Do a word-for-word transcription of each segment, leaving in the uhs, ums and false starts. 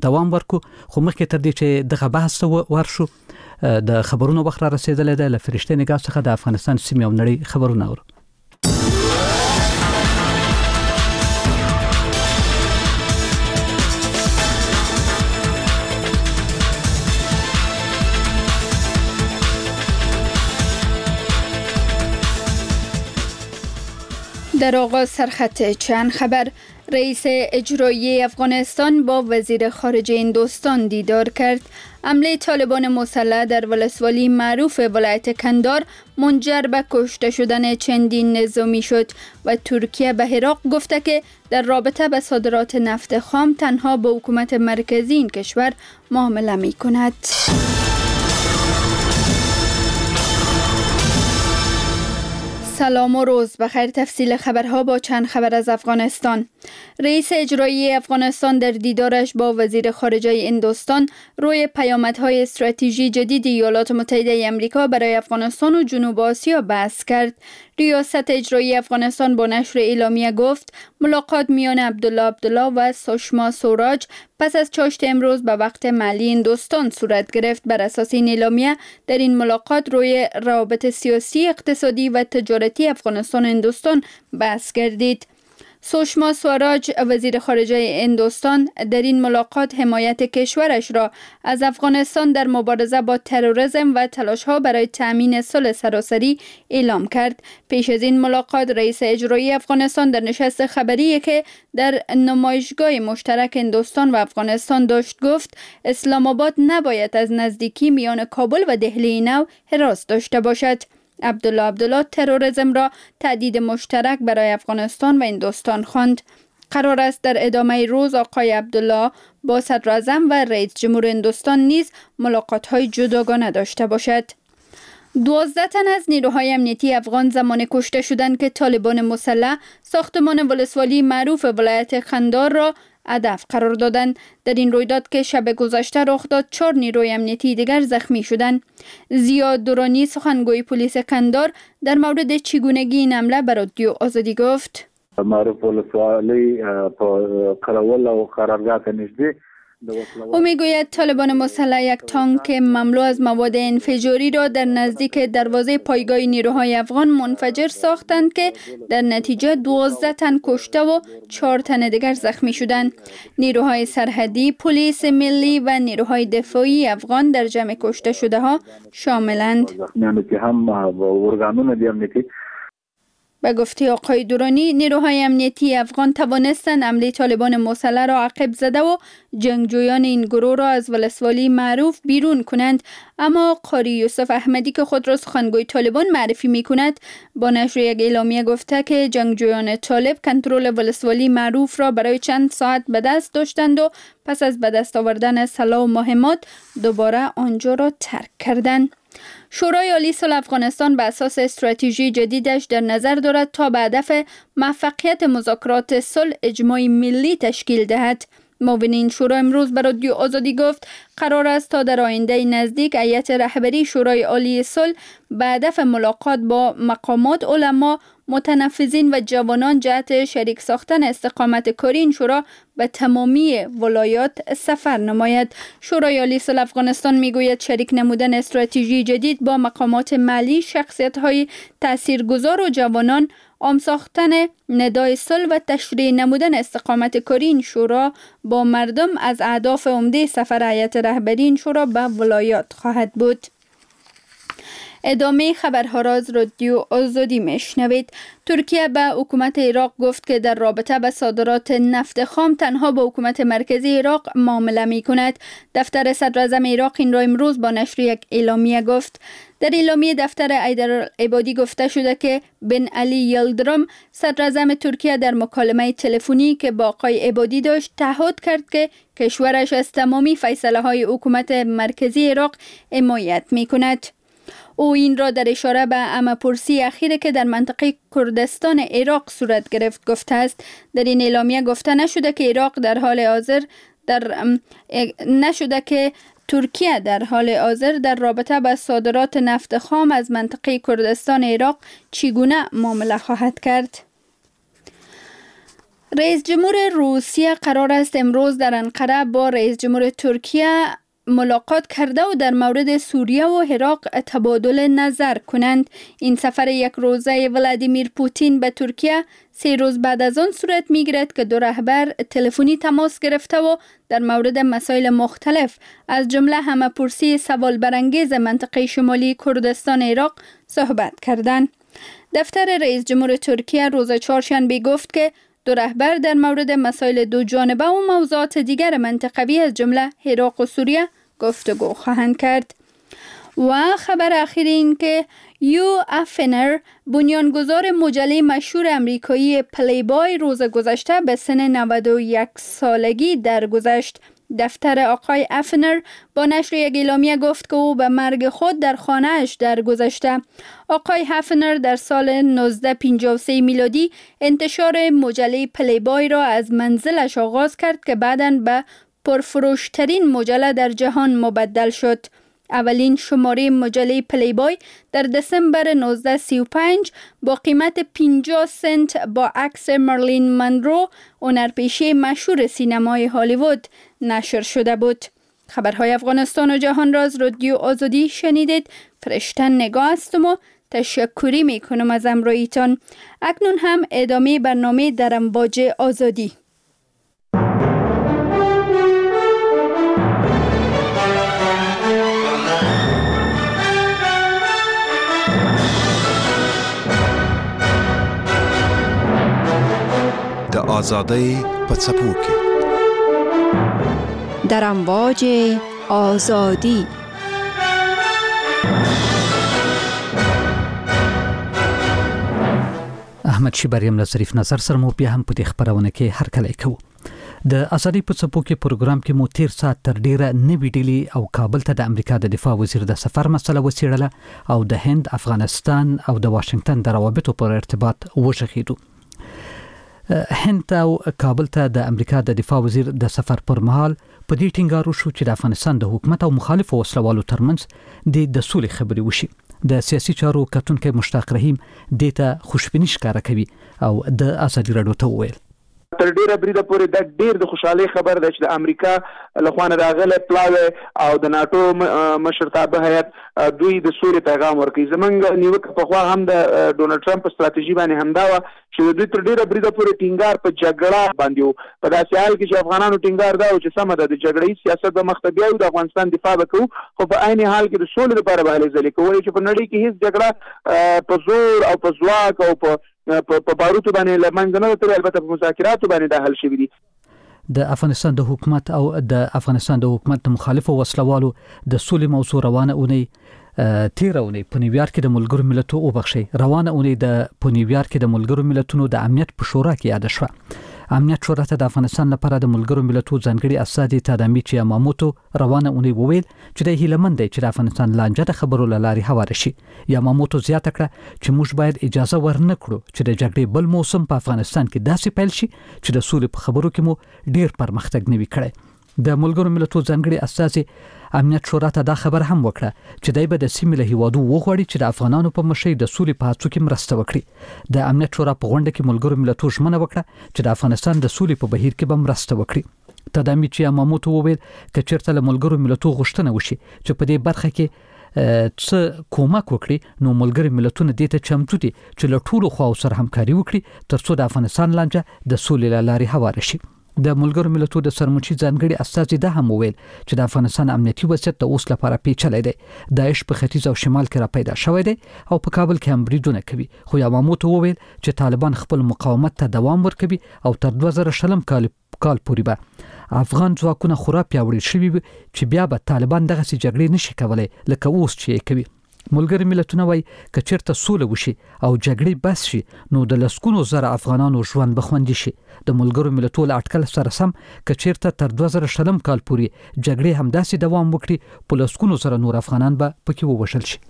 دوام ورکو. خو مخکې تر دې چې دغه بحث ته ورشو، د خبرونو وخت را رسېدلی دی. له فرشتې نګاه څخه د افغانستان سیمې او نړۍ خبرونه اورو. در آغاز سرخط چند خبر. رئیس اجرایی افغانستان با وزیر خارجه هندوستان دیدار کرد. حمله طالبان مسلح در ولسوالی معروف ولایت کندار منجر به کشته شدن چندین نظامی شد و ترکیه به عراق گفته که در رابطه به صادرات نفت خام تنها با حکومت مرکزی این کشور معامله می کند. سلام و روز بخیر. تفصیل خبرها با چند خبر از افغانستان. رئیس اجرایی افغانستان در دیدارش با وزیر خارجه هندوستان روی پیامدهای استراتژی جدید ایالات متحده امریکا برای افغانستان و جنوب آسیا بحث کرد. ریاست اجرایی افغانستان با نشر اعلامیه گفت ملاقات میان عبدالله عبدالله و سوشما سوراج پس از چاشت امروز به وقت محلی هندوستان صورت گرفت. بر اساس این اعلامیه در این ملاقات روی روابط سیاسی، اقتصادی و تجارتی افغانستان و هندوستان بحث گردید. سوشما سواراج وزیر خارجه هندوستان در این ملاقات حمایت کشورش را از افغانستان در مبارزه با تروریسم و تلاش‌ها برای تأمین صلح سراسری اعلام کرد. پیش از این ملاقات رئیس اجرایی افغانستان در نشست خبری که در نمایشگاه مشترک هندوستان و افغانستان داشت گفت اسلام آباد نباید از نزدیکی میان کابل و دهلی نو هراس داشته باشد. عبدالله عبدالله تروریسم را تهدید مشترک برای افغانستان و هندوستان خواند. قرار است در ادامه روز آقای عبدالله با صدراعظم و رئیس جمهور هندوستان نیز ملاقات‌های جداگانه داشته باشد. دوازده تن از نیروهای امنیتی افغان زمان کشته شدند که طالبان مسلح ساختمان ولسوالی معروف ولایت خندار را هدف قرار دادند. در این رویداد که شب گذشته رخ داد، چهار نیروی امنیتی دیگر زخمی شدند. زیاد دورانی سخنگوی پلیس کندار در مورد چگونگی این حمله به رادیو آزادی گفت: معروف ولسوالی په قراول او قرارگاه ته نږدې. او میگوید طالبان مسلح یک تانک مملو از مواد انفجاری را در نزدیک دروازه پایگاه نیروهای افغان منفجر ساختند که در نتیجه دوازده تن کشته و چهار تن دیگر زخمی شدند. نیروهای سرحدی، پلیس ملی و نیروهای دفاعی افغان در جمع کشته شده ها شاملند. به گفته آقای دورانی، نیروهای امنیتی افغان توانستند حمله طالبان مسلح را عقب زده و جنگجویان این گروه را از ولسوالی معروف بیرون کنند. اما قاری یوسف احمدی که خود را سخنگوی طالبان معرفی می کند با نشر یک اعلامیه گفته که جنگجویان طالب کنترل ولسوالی معروف را برای چند ساعت به دست داشتند و پس از به دست آوردن سلاح و مهمات دوباره آنجا را ترک کردند. شورای عالی صلح افغانستان به اساس استراتژی جدیدش در نظر دارد تا به هدف موفقیت مذاکرات صلح اجماع ملی تشکیل دهد. معاون این شورا امروز به رادیو آزادی گفت قرار است تا در آینده نزدیک هیئت رهبری شورای عالی صلح به هدف ملاقات با مقامات، علما، متنفذین و جوانان جهت شریک ساختن استقامت کاری این شورا به تمامی ولایات سفر نماید. شورای عالی صلح افغانستان میگوید شریک نمودن استراتژی جدید با مقامات ملی، شخصیت‌های تاثیرگذار و جوانان، عام ساختن ندای صلح و تشریح نمودن استقامت کاری این شورا با مردم از اهداف عمده سفر هیئت رهبری این شورا به ولایات خواهد بود. ادامه خبرها را از رادیو آزادی میشنوید. ترکیه به حکومت عراق گفت که در رابطه به صادرات نفت خام تنها با حکومت مرکزی عراق معامله می کند. دفتر صدراعظم عراق این را امروز با نشر یک اعلامیه گفت. در اعلامیه دفتر حیدرعبادی گفته شده که بن علی یلدرم صدراعظم ترکیه در مکالمه تلفنی که با آقای عبادی داشت تعهد کرد که کشورش از تمامی فیصله های حکومت مرکزی عراق حمایت می کند. او این را در اشاره به عامه‌پرسی اخیر که در منطقه کردستان عراق صورت گرفت گفته است. در این اعلامیه گفته نشده که عراق در حال حاضر در نشده که ترکیه در حال حاضر در رابطه با صادرات نفت خام از منطقه کردستان عراق چگونه معامله خواهد کرد. رئیس جمهور روسیه قرار است امروز در انقره با رئیس جمهور ترکیه ملاقات کرده و در مورد سوریه و عراق تبادل نظر کنند. این سفر یک روزه ولادیمیر پوتین به ترکیه سه روز بعد از آن صورت میگیرد که دو رهبر تلفنی تماس گرفته و در مورد مسائل مختلف از جمله همه‌پرسی سوال برانگیز منطقه شمالی کردستان عراق صحبت کردند. دفتر رئیس جمهور ترکیه روز چهارشنبه گفت که دو رهبر در مورد مسائل دو جانبه و موضوعات دیگر منطقوی از جمله عراق و سوریه گفتگو خواهند کرد. و خبر اخیر این که یو افنر، بنیانگذار مجله مشهور امریکایی پلی بای، روز گذشته به سن نود و یک سالگی درگذشت. دفتر آقای افنر با نشر یک اعلامیه گفت که او به مرگ خود در خانه‌اش درگذشته. آقای افنر در سال نوزده پنجاه و سه میلادی انتشار مجله پلی بای را از منزلش آغاز کرد که بعداً به پرفروشترین مجله در جهان مبدل شد. اولین شماره مجله پلی بای در دسامبر نوزده سی و پنج با قیمت پنجاه سنت با عکس مرلین منرو، هنرپیشه مشهور سینمای هالیوود، نشر شده بود. خبرهای افغانستان و جهان را از رادیو آزادی شنیدید. فرشته نگاه هستم و تشکری میکنم از همراهیتان. اکنون هم ادامه برنامه در امواج آزادی. د آزادۍ په څپو کې، در امواج آزادی. احمد شیبر یم له ظریف نظر سره مو بیا هم په دې خپرونه کې هرکلی کوو. د ازادۍ په څپو کې پروګرام کې مو تیر ساعت تر ډیره نوي ډیلي او کابل ته د امریکا د دفاع وزیر د سفر مسله وڅېړله او د هند، افغانستان او د واشنګټن د روابطو پر ارتباط وغږېدو. هند او کابل ته د امریکا د دفاع وزیر د سفر پر مهال په دې ټینګار وشو چې د افغانستان د حکومت او مخالفو وسلوالو ترمنځ د د سولې خبرې وشي. د سیاسي چارو کتونکی مشتاق رحیم دې ته خوشبیني ښکاره کوي او د ازادي راډیو ته وویل: تر ډیره بریده پورې دا ډیر د خوشحالۍ خبر ده چې د امریکا له خوا نه راغلی پلاوی او د ناټو مشرتابه هیئت دوی د سولې پیغام ورکوي. زمونږ نیوکه پخوا هم د ډونالډ ټرمپ په ستراتیژي باندې همدا وه چې د دوی تر ډیره بریده پورې ټینګار په جګړه باندې و، په داسې حال کې چې افغانانو ټینګار دا و چې سمه ده د جګړه ییز سیاست به مخته بیایو، د افغانستان دفاع به کوو، خو په عین حال کې د سولې لپاره به هلې ځلې کوو، چې په نړۍ کې هیڅ جګړه په زور او په ځواک او په په باروتو باندې له منځه نه ده تللې، البته په مذاکراتو باندې دا حل شوي دي. د افغانستان د حکومت او د افغانستان د حکومت د مخالفو وسلوالو د سولې موضوع روانه اونۍ تیره اونۍ په نیویارک کې د ملګرو ملتونو وبخښئ روانه اونۍ د په نیویارک کې د ملګرو ملتونو د امنیت په شورا کې یاده شوه. امنیت شورا ته د افغانستان لپاره د ملګرو ملتونو ځانګړي استازي تادامیچي یاماموتو روانه اونۍ وویل چې دی هیله مند دی چې د افغانستان لانجه د خبرو له لارې هواره شي. یاماموتو زیاته کړه چې موږ باید اجازه ورنه کړو چې د جګړې بل موسم په افغانستان کې داسې پیل شي چې د سولې په خبرو کې مو ډیر پرمختګ نه وي کړی. د ملګرو ملتونو ځانګړي استازي امنیت شورا ته دا خبر هم وکړه چې دی به د سیمې له هیوادو وغواړي چې د افغانانو په مشرۍ د سولې په هڅو کې مرسته وکړي. د امنیت شورا په غونډه کې ملګرو ملتونو ژمنه وکړه چې د افغانستان د سولې په بهیر کې به مرسته وکړي. تادامیچي یاماموتو وویل که چیرته له ملګرو ملتونو غوښتنه وشي چې په دې برخه کې څه کومک وکړي نو ملګري ملتونه دې ته چمتو دي چې له ټولو خواو سره همکاري وکړي ترڅو د افغانستان لانجه د سولې له لارې هواره شي. د ملګرو ملتونو د سرمنشي ځانګړي استازي دا هم وویل چې د افغانستان امنیتي وضعیت د اوس لپاره پیچلی دی. داعش په ختیځ او شمال کې را پیدا شوی دی او په کابل کې هم بریدونه کوي، خو یاماموتو وویل چې طالبان خپل مقاومت ته دوام ورکوي او تر دوه زره شلم کال کال پورې به افغان ځواکونه خورا پیاوړي شوي وي چې بیا به طالبان دغسې جګړې نشي کولی لکه اوس چې یې کوي. ملګري ملتونه وایي که چیرته سوله وشي او جګړې بس شي نو د لسګونو زره افغانانو ژوند به خوندي شي. د ملګرو ملتونو له اټکل سره سم که چیرته تر دوه زره شلم کال پورې جګړې همداسې دوام وکړي په لسګونو زره نور افغانان به پکې ووژل شي.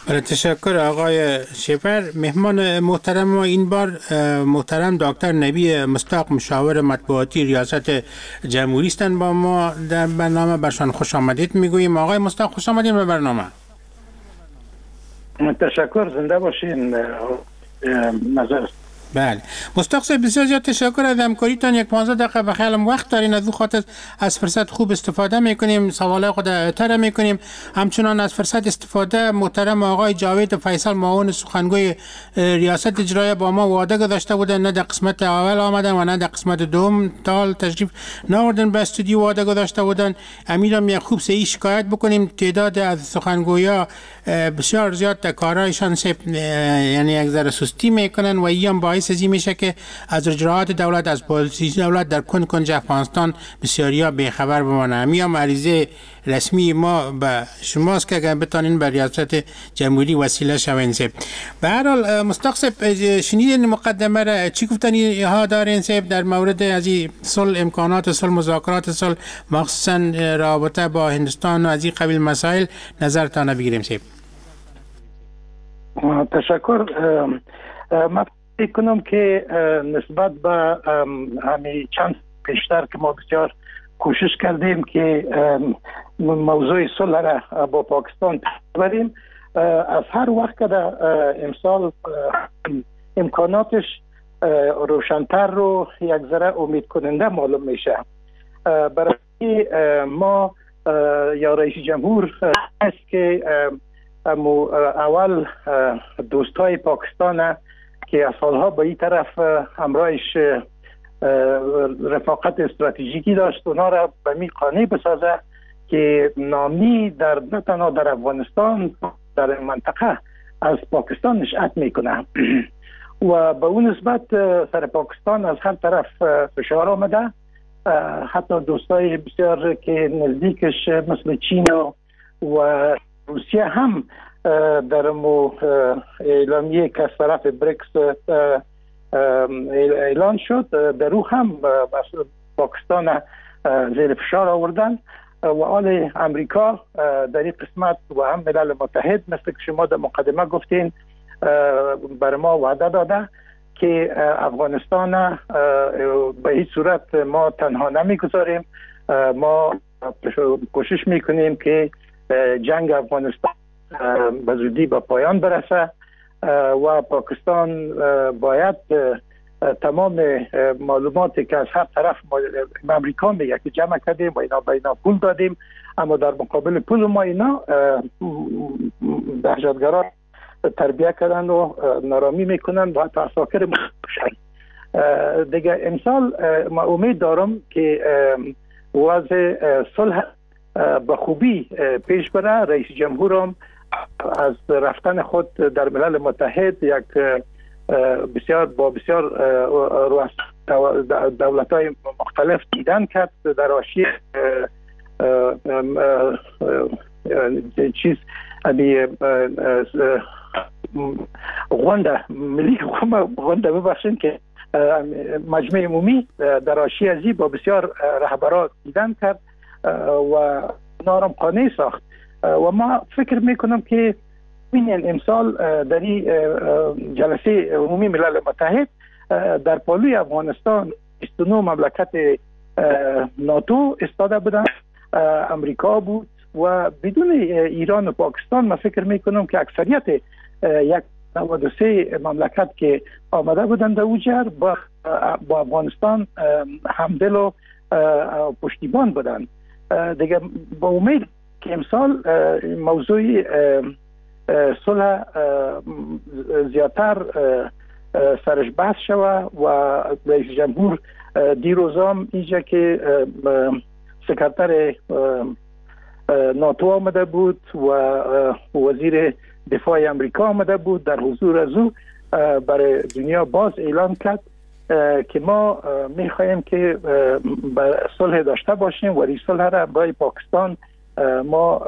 بله، تشکر آقای شفر. مهمان محترم ما این بار محترم دکتر نبی مصداق مشاور مطبوعاتی ریاست جمهوری هستند با ما در برنامه. برشان خوش آمدید میگوییم. آقای مصداق خوش آمدید به برنامه. تشکر، زنده باشین. نظر بله مستاق صاحب، بسیار زیاد تشکر از همکاریتان. یک پانزده دقیقه به خیالم وقت دارین، از او خاطر از فرصت خوب استفاده میکنیم، سوالای خود تر میکنیم. همچنان از فرصت استفاده محترم آقای جاوید فیصل معاون سخنگوی ریاست اجرایی با ما وعده گذاشته بودن، نه در قسمت اول آمدن و نه در قسمت دوم تا تشریف نآوردن به استودیو، وعده گذاشته بودن. امیدم یک خوب سه شکایت بکنیم، تعداد از سخنگویا بسیار زیاد در کارهایشان یعنی یک ذره سستی میکنن و این باعث از این میشه که از اجراعات دولت، از پالیسی دولت در کن کنج افغانستان بسیاریا بیخبر بمانه. همین هم عریضه رسمی ما به شماست که اگر بتانین به ریاست جمهوری وسیله شوین. صاحب به هر حال مستاق صاحب، شنیدین مقدمه را، چی گفتنی ها دارین صاحب در مورد از این صلح، امکانات صلح، مذاکرات صلح، مخصوصا رابطه با هندوستان و از این قبیل مسائل نظرتان بگیریم صاحب؟ تشکر. من فکر کنم که نسبت به همین چند پیشتر که ما بسیار کوشش کردیم که موضوع صلح را با پاکستان ببریم، از هر وقت که در امسال امکاناتش روشنتر رو یک ذره امید کننده معلوم میشه. برای ما یا رئیس جمهور است که اول دوستای پاکستان که از سالها به این طرف همراهش رفاقت استراتژیکی داشت، اونا را به می قانع بسازه که نامی در نه تنها در افغانستان، در منطقه از پاکستان نشأت میکنه و به اون نسبت سر پاکستان از هر طرف فشار آمده. حتی دوستای بسیار که نزدیکش مثل چین و روسیه هم در مو اعلامیه که از طرف بریکس اعلان شد، در او هم پاکستان زیر فشار آوردن و آل امریکا در این قسمت و هم ملل متحد مثل که شما در مقدمه گفتین بر ما وعده داده که افغانستان به هیچ صورت ما تنها نمیگذاریم، ما کوشش میکنیم که جنگ افغانستان به زودی به پایان برسه و پاکستان باید تمام معلوماتی که از هر طرف امریکا میگه که جمع کردیم و اینا به اینا پول دادیم، اما در مقابل پول ما اینا دهشتگران تربیه کردن و نارامی میکنن و حتی عساکر میکشن. دیگه امسال ما امید دارم که وضع صلح به خوبی پیش بره. رئیس جمهورم از رفتن خود در ملل متحد یک بسیار با بسیار دولت‌های مختلف دیدن کرد در حاشیه چیز غونډه ملی غونډه ببخشید که مجمع عمومی در حاشیه ازی با بسیار رهبران دیدن کرد و نارم قانع ساخت و ما فکر میکنم که ببینین امسال در این جلسه عمومی ملل متحد در پالوی افغانستان بیست و نه مملکت ناتو استاده بودن، امریکا بود و بدون ایران و پاکستان ما فکر میکنم که اکثریت یک نود و سه مملکت که آمده بودند در اوجر با, با افغانستان همدل و پشتیبان بودند. دیگه با امید که امسال موضوع صلح زیادتر سرش بحث شوه و رئیس جمهور دیروزام اینجا که سکرتر ناتو آمده بود و وزیر دفاع امریکا آمده بود، در حضور از او برای دنیا باز اعلام کرد که ما میخواهیم که صلح داشته باشیم و این صلح را برای پاکستان ما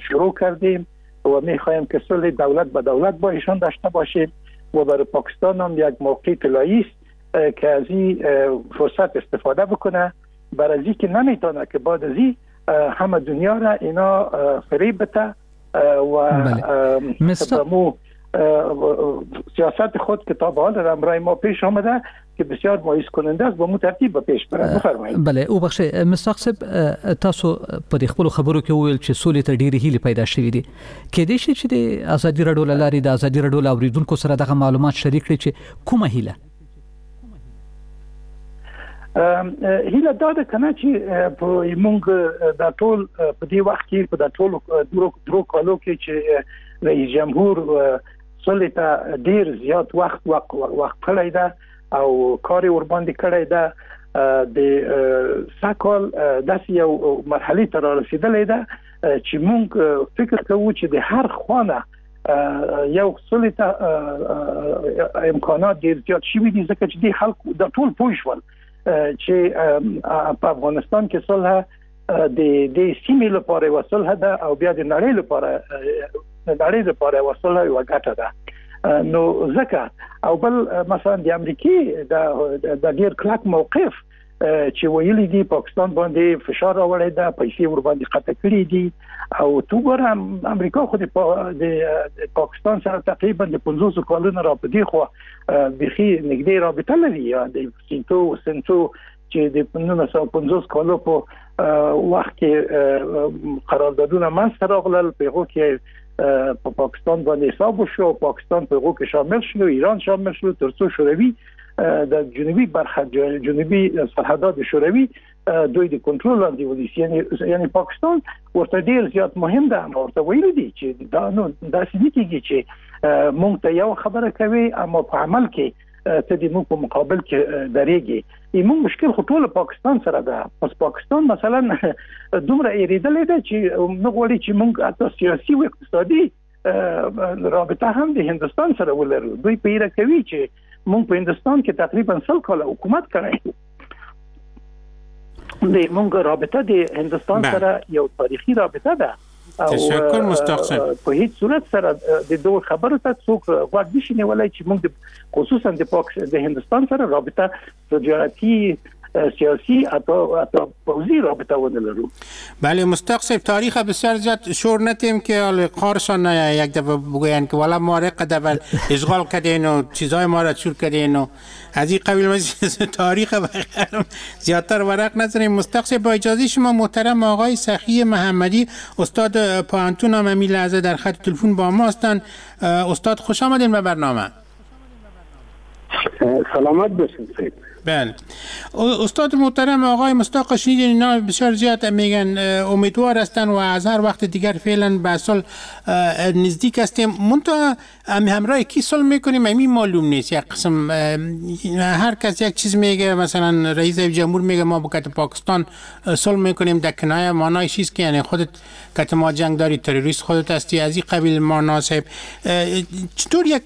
شروع کردیم و میخواهیم که صلح دولت به دولت با ایشان داشته باشیم و برای پاکستان هم یک موقع طلایی است که از این فرصت استفاده بکنه، برای از این که نمیتونه که بعد از این همه دنیا را اینا فریب بده و مو سیاست خود که تا به حال همراه ما پیش آمده که بسیار مایوس کننده است با مو ترتیب به پیش بره. بفرمایید. بله او بخښئ مستاق صاحب، تاسو په دې خپل خبرو کې وویل چې سولې ته ډېرې هیلې پیدا شوې دي، کېدای شي چې د ازادي راډیو له لارې د ازادي راډیو له اورېدونکو سره دغه معلومات شریک کړئ چې کومه هیله هیله دا ده کنه چې په موږ دا ټول په دې وخت کې په دا ټول درو درو کالو کې چې رئیس جمهور سولې ته ډیر زیات وخت وخت وخت کړی ده او کار ور باندې کړی ده، د سږکال داسې یو مرحلې ته رارسېدلی ده چې موږ فکر کوو چې د هر خوانه یو سولې ته امکانات ډیر زیات شوي دي، ځکه چې دې خلکو دا ټول پوه شول چې په افغانستان کې صلح د دې سیمې لپاره یوه صلح ده او بیا د نړۍ لپاره د نړۍ لپاره یوه صلح یوه ګټه ده. نو ځکه او بل مثلا د امریکې د ډیر کلک موقف چې ویلي دي پاکستان باندې فشار راوړی ده، پیسې ور باندې قطع کړې دي، او تو ګوره امریکا خو د پاکستان سره تقریبا د پنځوسو کالونو را په دې خوا بیخي نږدې رابطه لري، د سینتو سنتو چې د نولس سوه پنځوس کالو په وخت کې قراردادونه منځته راغلل، په هغو کې په پاکستان باندې حساب وشو، پاکستان په هغو کې شامل شو، ایران شامل شو، ترڅو شوروي د جنوبي برخه جنوبي سرحدات شوروي دوی د کنټرول لاندې ونیسي. یعنی یعنی پاکستان ورته ډیر زیات مهم ده، اما ورته ویلي دي چې دا نو داسې نه کېږي چې موږ ته یو خبره کوي اما په عمل کې ته د موږ په مقابل کې درېږي. موږ مشکل خو ټول پاکستان سره ده. پس پاکستان مثلا دومره ایرېدلی ده چې نه غواړي چې موږ حتی سیاسي او اقتصادي رابطه هم د هندوستان سره ولرو. دوی په ایره کوي چې موږ په هندوستان کې تقریبا سل کاله حکومت کړی، د موږ رابطه د هندوستان سره یو تاریخي رابطه ده. تشکر مستاق صاحب. په هیڅ صورت سره د دوه خبرو ته څوک غوږ نشي نیولی چې موږ خصوصا د پاک د هندوستان سره رابطه تجارتي سیاسی حتی پوزی رابطه ونه لرو. بله مستاق صاحب، تاریخ بسیار زیاد شور نتیم که قارشان یک دفعه بگوین که والا ما را قدر اشغال کردین و چیزای ما را چور کردین و از این قبیل تاریخ زیادتر ورق نزنیم. مستاق صاحب با اجازه شما محترم آقای سخی محمدی استاد پوهنتون هم همین لحظه در خط تلفن با ما هستند. استاد خوش آمدین به برنامه. سلامت باشید سید. بله استاد محترم آقای مستاق شنیدین اینا بسیار زیاد میگن امیدوار هستن و از هر وقت دیگر فعلا به صلح نزدیک هستیم، منتها همراه کی صلح میکنیم همین معلوم نیست. یک قسم هر کس یک چیز میگه، مثلا رئیس جمهور میگه ما با کت پاکستان صلح میکنیم، در کنایه معنایش چیست که یعنی خودت کت ما جنگ داری، تروریست خودت هستی، از این قبیل معنا صاحب. چطور یک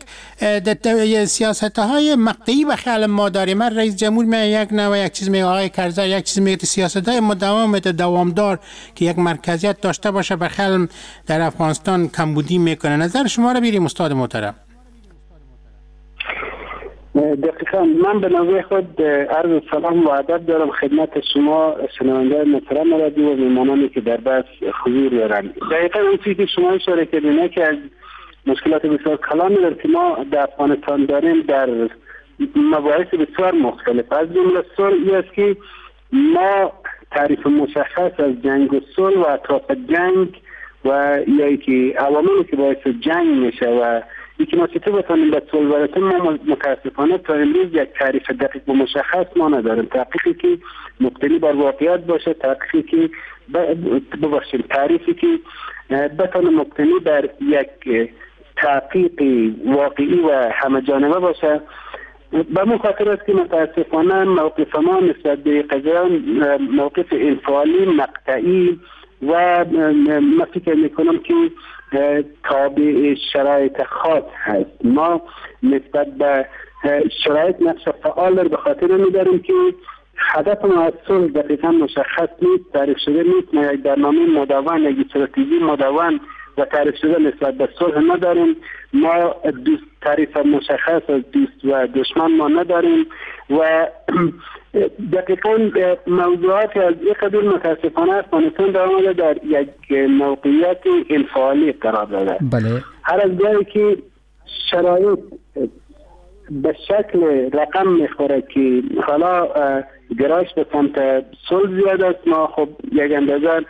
سیاست های مقطعی به خیال ما داریم؟ من رئیس جمهور می یک نوع یک چیز میگه، آقای کرزی یک چیز میگه، سیاست های مداوم دوامدار که یک مرکزیت داشته باشه به خیال در افغانستان کمبودی میکنه. نظر شما رو بیریم استاد محترم. دقیقا من به نوبه خود عرض سلام و ادب دارم خدمت شما شنونده محترم رادیو و میهمانانی که در بحث حضور دارند. دقیقا اون چیزی که شما اشاره کردین که از مشکلات بسیار کلانی در که ما در افغانستان داریم در مباحث بسیار مختلف، از جمله صلح، این است که ما تعریف مشخص از جنگ و صلح و اطراف جنگ و یا که عواملی که باعث جنگ میشه و یکی ما چطور بتانیم به صلح برسیم، ما متاسفانه تا امروز یک تعریف دقیق و مشخص ما نداریم. تحقیقی که مبتنی بر واقعیت باشه، تحقیقی که ببخشید تعریفی که بتانه مبتنی بر یک تحقیق واقعی و همه جانبه باشه. به مو خاطر است که متاسفانه موقف ما نسبت به قضیه موقف انفعالی مقطعی و ما فکر میکنم که تابع شرایط خاص هست. ما نسبت به شرایط نقش فعال را به خاطر میداریم که هدف ما از صلح دقیقا مشخص نیست، تعریف شده نیست. ما یک برنامه مدون، یک استراتژی مدون و تعریف شده نسبت به صلح نداریم. ما دوست تعریف مشخص از دوست و دشمن ما نداریم و دقیقا موضوعات از این قبیل متاسفانه افغانستان در آمده در یک موقعیت انفعالی قرار داده. بله. هر از جایی که شرایط به شکل رقم میخوره که حالا گرایش به سمت صلح زیاد است، ما خب یک اندازه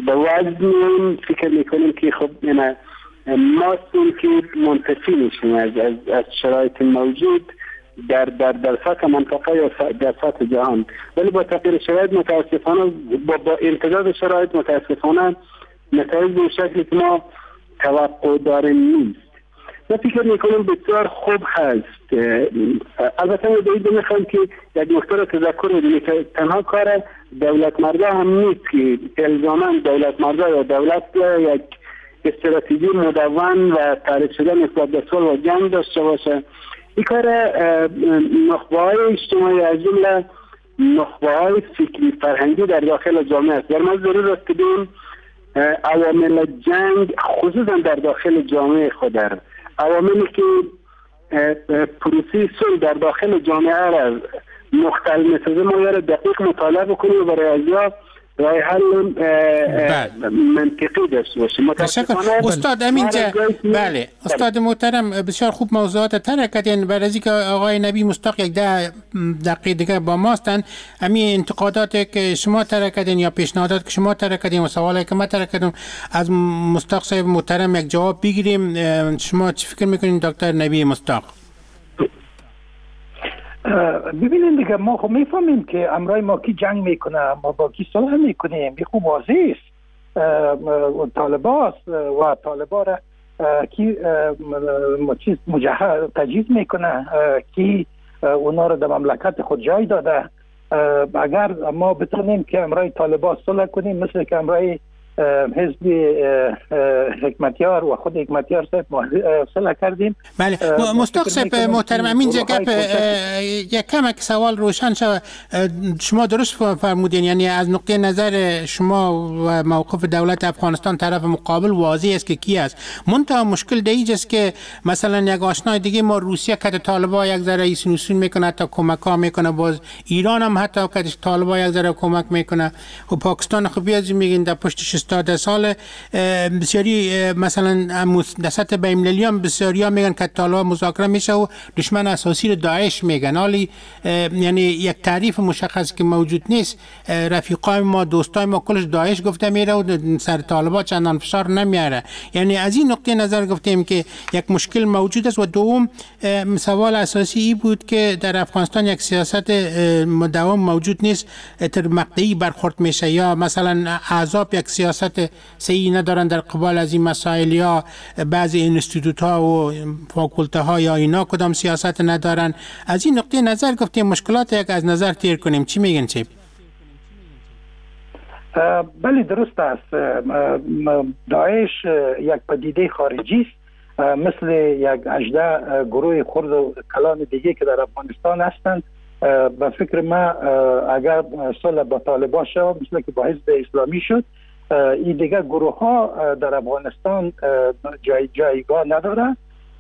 به وزن میاییم، فکر میکنیم که خب یعنی ما هستیم که منتفی میشیم از, از, از شرایط موجود در در در سطح منطقه یا در سطح جهان. ولی با تغییر شرایط متاسفانه با با امتداد شرایط متاسفانه نتایج به شکلی که ما توقع داریم نیست. من فکر میکنم بسیار خوب هست. البته من باید میخوام که یک نکته را تذکر بدیم که تنها کار دولت مردا هم نیست که الزاماً دولت مردا یا دولت یک استراتژی مدون و تعریف شده نسبت به صلح و جنگ داشته باشه. این کار نخبه‌های اجتماعی از جمله نخبه‌های فکری فرهنگی در داخل جامعه است. در ما ضرور است که ببینیم عوامل جنگ خصوصا در داخل جامعه خود، در عواملی که پروسه صلح در داخل جامعه را مختل می‌سازه ما را دقیق مطالعه بکنیم و برای ازیا راه حل منطقی داشته باشیم. تشکر استاد. همینجا بله استاد محترم بسیار خوب موضوعات طرح کردین. برای از اینکه آقای نبی مصداق یک ده دقیقه دیگه با ما هستند، همین انتقادات که شما طرح کردین یا پیشنهادات که شما طرح کردین و سوالایی که ما طرح کردیم از مصداق صاحب محترم یک جواب بگیریم. شما چی فکر میکنین دکتر نبی مصداق؟ ببینید دیگه ما خب میفهمیم که امرای ما کی جنگ میکنه، ما با کی صلح میکنیم، این خوب واضح است. طالباست و طالبا را کی چیز مجهز تجهیز میکنه، کی اونا را در مملکت خود جای داده. اگر ما بتونیم که امرای طالبا صلح کنیم مثل که امرای حزب حکمتیار و خود حکمتیار صاحب صلح کردیم. بله مصداق صاحب محترم همینجا گپ یک کمک سوال روشن شود. شما درست فرمودین، یعنی از نقطه نظر شما و موقف دولت افغانستان طرف مقابل واضح است که کی است. منتها مشکل در اینجاست است که مثلا یک آشنای دیگه ما روسیه که طالبا یک ذره ایسون میکنه تا کمک ها میکنه، باز ایران هم حتی که طالبا یک ذره کمک میکنه و پاکستان خب بیازی میگین در پشتش ده سال بسیاری مثلا در سطح بین‌المللی هم بسیاری ها میگن که طالبان مذاکره میشه و دشمن اساسی رو داعش میگن. حالی یعنی یک تعریف مشخص که موجود نیست. رفیقای ما دوستای ما کلش داعش گفته میره و سر طالبان چندان فشار نمیاره. یعنی از این نقطه نظر گفتیم که یک مشکل موجود است. و دوم سوال اساسی ای بود که در افغانستان یک سیاست مداوم موجود نیست، تر مقطعی برخورد میشه یا مثلا احزاب یک سیاست صحیح ندارن در قبال از این مسائل یا بعضی اینستیتوت ها و فاکولته ها یا اینا کدام سیاست ندارن. از این نقطه نظر گفتیم مشکلات یک از نظر تیر کنیم. چی میگن چی؟ بله درست است. داعش یک پدیده خارجی است، مثل یک هجده گروه خرد و کلان دیگه که در افغانستان هستند. به فکر ما اگر صلح با طالبان شد مثل که با حزب اسلامی شد، این دیگه گروه ها در افغانستان جای جایگاه نداره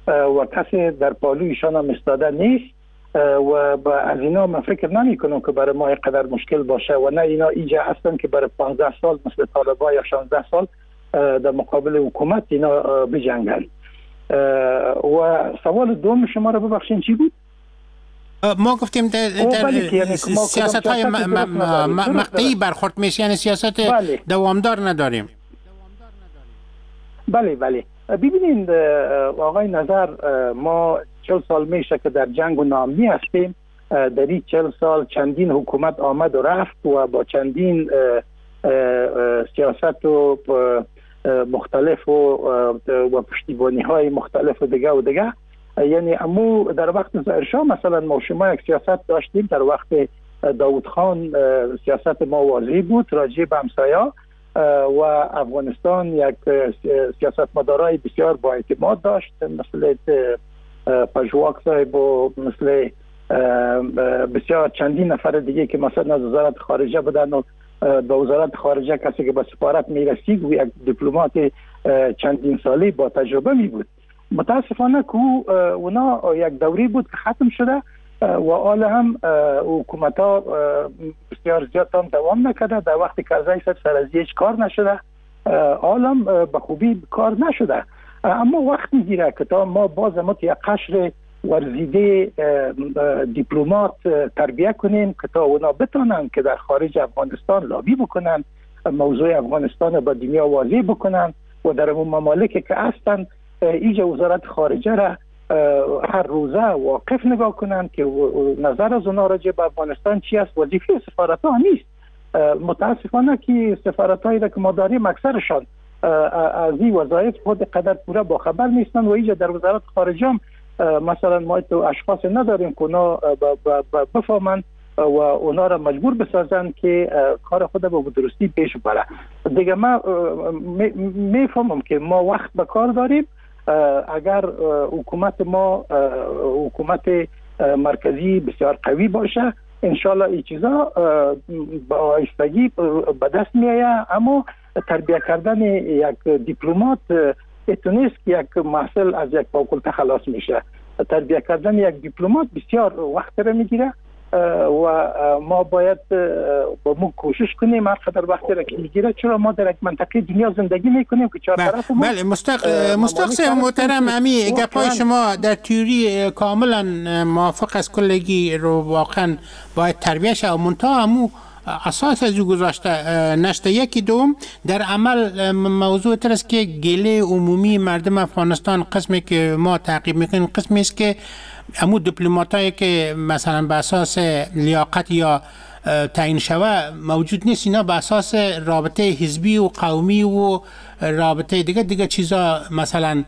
و کسی در پالویشان هم ایستاده نیست و از اینا من فکر نمی کنم که برای ما اینقدر مشکل باشه و نه اینا اینجا هستن که برای پانزده سال مثل طالبان یا شانزده سال در مقابل حکومت اینا بجنگن. و سوال دوم شما رو ببخشین چی بود؟ ما گفتیم در, در سیاست های مقطعی برخورد میشه، یعنی سیاست بله. دوامدار نداریم. بله بله ببینید آقای نظر، ما چهل سال میشه که در جنگ و ناامنی هستیم. در این چهل سال چندین حکومت آمد و رفت و با چندین سیاست و مختلف و, و پشتیبانی های مختلف و دیگه و دیگه. یعنی امو در وقت ظاهرشاه مثلا ما شما یک سیاست داشتیم، در وقت داود خان سیاست ما واضح بود راجع به همسایه و افغانستان یک سیاست مدارای بسیار با اعتماد داشت، مثل پژواک صاحب و مثل بسیار چندین نفر دیگه که مثلا از وزارت خارجه بودن و به وزارت خارجه کسی که به سفارت میرسید و یک دیپلمات چندین ساله با تجربه می بود. متاسفانه که اونا یک دوری بود که ختم شده و حال هم حکومت ها بسیار زیاد هم دوام نکرده. در وقت کرزی صاحب سر از هیچ کار نشده، حال هم به خوبی کار نشده، اما وقت میگیره که تا ما باز ما یک قشر ورزیده دیپلمات تربیه کنیم که تا اونا بتونن که در خارج افغانستان لابی بکنن، موضوع افغانستان با دنیا واضح بکنن و در اون ممالک که هستن ایجا وزارت خارجه را هر روزه واقف نگاه کنند که نظر از اونا راجع به افغانستان چی است. وظیفه سفارت ها نیست. متاسفانه که سفارت هایی که ما داریم اکثرشان از این وظایف خود قدر پوره با خبر نیستن و اینجا در وزارت خارجه هم مثلا ما تو اشخاص نداریم که اونا بفهمند و اونا را مجبور بسازن که کار خود به درستی پیش ببره. دیگه ما میفهمم که ما وقت به کار داریم. اگر حکومت ما حکومت مرکزی بسیار قوی باشه انشالله این چیزا با آهستگی به دست میآید. اما تربیه کردن یک دیپلمات اتونیست که یک محصل از یک فاکولته خلاص میشه. تربیه کردن یک دیپلمات بسیار وقت را میگیره و ما باید با ما کوشش کنیم هر قدر وقت را که میگیره، چرا ما در یک منطقه دنیا زندگی میکنیم که چهار طرف ما. بله مستق مستق محترم، امی گپای شما در تئوری کاملا موافق از کلگی رو واقعا باید تربیه شه و منتها امو اساس از او گذاشته نشته. یکی دوم در عمل موضوع تر است که گله عمومی مردم افغانستان قسمی که ما تعقیب میکنیم قسمی است که امو دیپلماتایی که مثلا به اساس لیاقت یا تعیین شوه موجود نیست، اینا به اساس رابطه حزبی و قومی و رابطه دیگه دیگه چیزا مثلا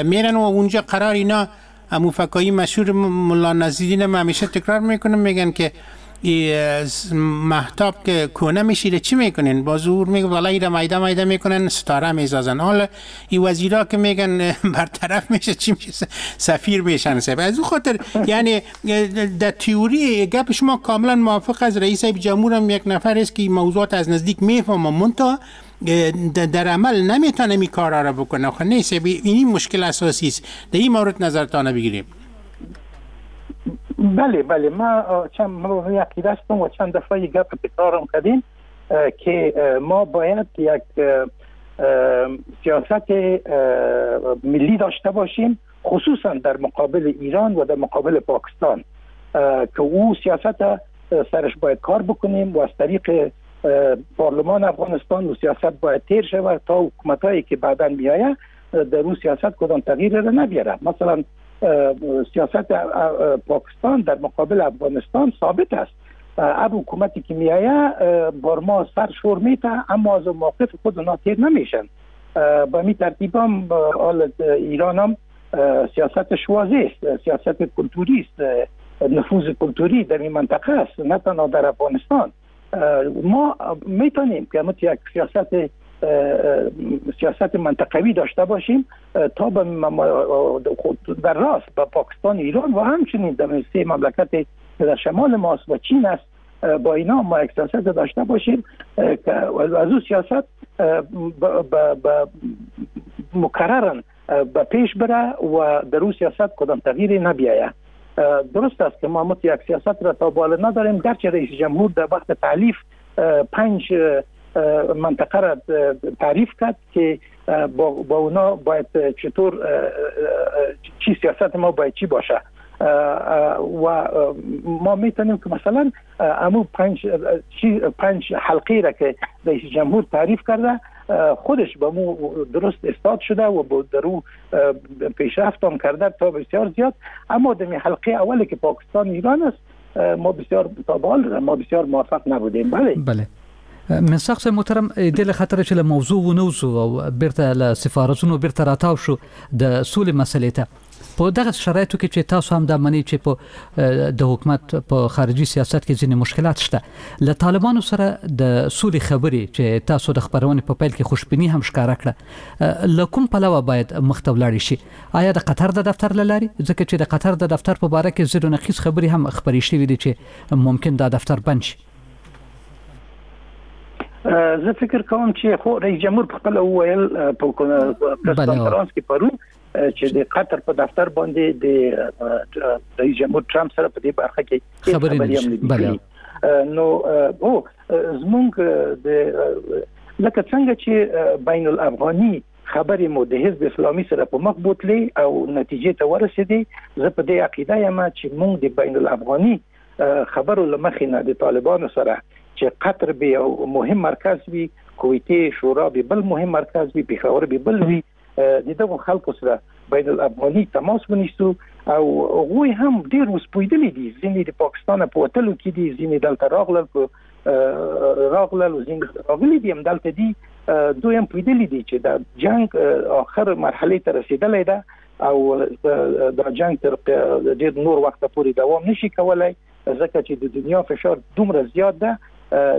میرن و اونجا قرار اینا امو فکایی مشهور ملا نزیدین ما همیشه تکرار میکنم، میگن که مهتاب که کونه میشیره چی میکنن؟ با زور میگه والا ایره میده میده میکنن ستاره میزازن. حالا این وزیرا که میگن برطرف میشه چی میشه؟ سفیر میشن. سب از او خاطر یعنی در تئوری گپ شما کاملا موافق از رئیس جمهور هم یک نفر است که موضوعات از نزدیک میفهمه، منتها در عمل نمیتونه می کارا را بکنه. خب نیست، این مشکل اساسی است. در این مورد نظرتان بگیریم. بله بله، ما چند ما عقیده هستم و چند دفعه گپ تکرارم کردیم که ما باید یک سیاست ملی داشته باشیم، خصوصا در مقابل ایران و در مقابل پاکستان، که او سیاست سرش باید کار بکنیم و از طریق پارلمان افغانستان و سیاست باید تیر شود تا حکومتایی که بعداً میآید در او سیاست کدام تغییر را نبیاره. مثلا سیاست پاکستان در مقابل افغانستان ثابت است. هر حکومتی که میآید بار ما سر شور میته، اما از موقف خود اونا تیر نمیشن. با می ترتیب هم ایران هم سیاستش واضح است، سیاست کلتوری است، نفوذ کلتوری در این منطقه است، نه تنها در افغانستان. ما میتونیم که یک سیاست سیاست منطقوی داشته باشیم تا به در راست با پاکستان، ایران و همچنین در سه مملکت که در شمال ماست و چین است، با اینا ما یک سیاست داشته باشیم که از او سیاست مکررن به پیش بره و در او سیاست کدام تغییری نبیاید. درست است که ما یک سیاست را تا بالا نداریم، گرچه رئیس جمهور در وقت تعلیف پنج منطقه را تعریف کرد که با, با اونا باید چطور چی سیاست ما باید چی باشه و ما میتونیم که مثلا امو پنج پنج حلقه را که رئیس جمهور تعریف کرده خودش با مو درست استاد شده و با درو پیشرفت هم کرده تا بسیار زیاد. اما در حلقه اولی که پاکستان ایران است ما بسیار تا به حال ما بسیار موفق نبودیم. بله بله مصداق صاحب محترم، دې له خاطره چې له موضوع ونه وځو او بیرته له سفارتونو بیرته راتاو شو د سولې مسئلې ته، په دغه شرایطو کې چې تاسو هم دا منئ چې په د حکومت په خارجي سیاست کې ځینې مشکلات شته، له طالبانو سره د سولې خبرې چې تاسو د خپرونې په پیل کې خوشبیني هم ښکاره کړه، له کوم پلوه باید مخته ولاړې شي؟ آیا د قطر د دفتر له لارې؟ ځکه چې د قطر د دفتر په باره کې ضد و نقیض خبرې هم خپرې شوې دي چې ممکن دا دفتر بند شي. زه فکر کوم چې خو رئیس جمهور په خپل وویل په پریس کانفرنس کې پرون چې د قطر په دفتر باندې د رئیس جمهور ترامپ سره په دې برخه کې خبرې هم نه دي. نو او زمونږ د لکه څنګه چې بین الافغاني خبرې مو د حزب اسلامي سره په مخ بوتلې او نتیجې ته ورسېدې، زه په دې عقیده یم چې مونږ د بین الافغاني خبرو له مخې نه د طالبانو سره چې قطر به یو مهم مرکز وي، کویتې شورا به بل مهم مرکز وي، پېښور به بل وي، د دغو خلکو سره بین الافغاني تماس ونیسو. او هغوی هم ډېر اوس پوهېدلي دي، ځینې د پاکستان په وتلو کې دي، ځینې دلته راغلل په راغلل او ځینې راغلي دي هم دلته دي. دوی هم پوهېدلي دي چې دا جنګ آخر مرحلې ته رسېدلی ده او دا جنګ تر ډېر نور وخته پورې دوام نشي کولی، ځکه چې د دنیا فشار دومره زیات ده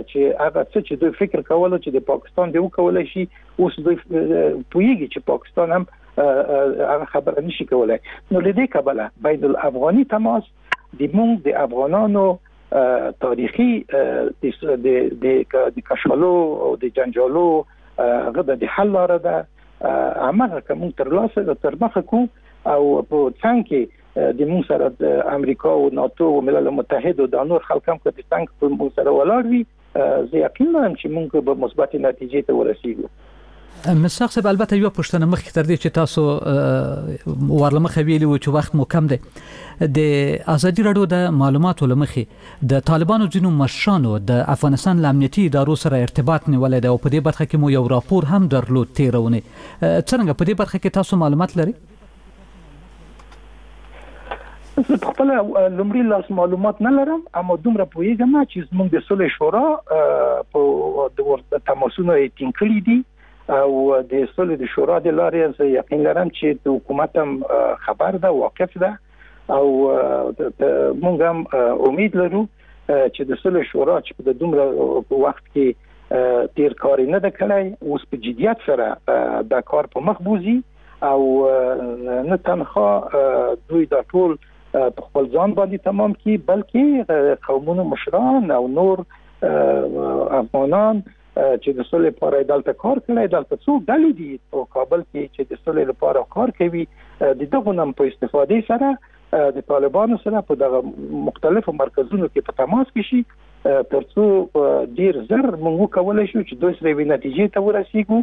چې هغه څه چې دوی فکر کولو چې د پاکستان دی وکولی شي، اوس دوی پوهېږي چې پاکستان هم هغه خبره نشي کولی. نو له دې کبله بین الافغاني تماس د موږ د افغانانو تاریخي د د کشالو او د جنجالو هغه د حل لاره ده. هماغه که موږ ترلاسه تر مخه کړو او په څنګ کې د موږ سره د امریکا او ناتو او ملل متحد او دا نور خلک هم که د څنګ په موږ سره ولاړ وي، زه یقین لرم چې موږ به مثبتې نتیجې ته ورسیږو. مصداق صاحب، البته یوه پوښتنه مخکې تر دې چې تاسو وار له مخه ویلي وو چې وخت مو کم دی، د ازادي راډیو د معلوماتو له مخې د طالبانو ځینو مشرانو د افغانستان له امنیتي ادارو سره ارتباط نیولی دی او په دې برخه کې مو یو راپور هم درلود تېره اونۍ. څرنګه په دې برخه کې تاسو معلومات لرئ؟ زه په خپله لومړي لاس معلومات نه لرم، اما دومره پوهېږم چې زموږ د سولې شورا په تماسونه یې ټینګ کړي دي او د سولې د شورا د لارې زه یقین لرم چې د حکومت هم خبر ده، واقف ده، او موږ هم امید لرو چې د سولې شورا چې په دومره وخت کې تیر کار نه ده کړی، اوس په جدیت سره دا کار په مخ بوځي او نه تنها دوی دا ټول په خپل ځان باندې تمام کړي، بلکې قومونو مشران او نور افغانان چې د سولې لپاره دلته کار کړی، دلته څو ډلې دي په کابل کې چې د سولې لپاره کار کوي، د دغو نم په استفادې سره د طالبانو سره په دغه مختلفو مرکزونو کې په تماس کې شي، ترڅو ډیر زر موږ وکولی شو چې دوی سره یوې نتیجې ته ورسیږو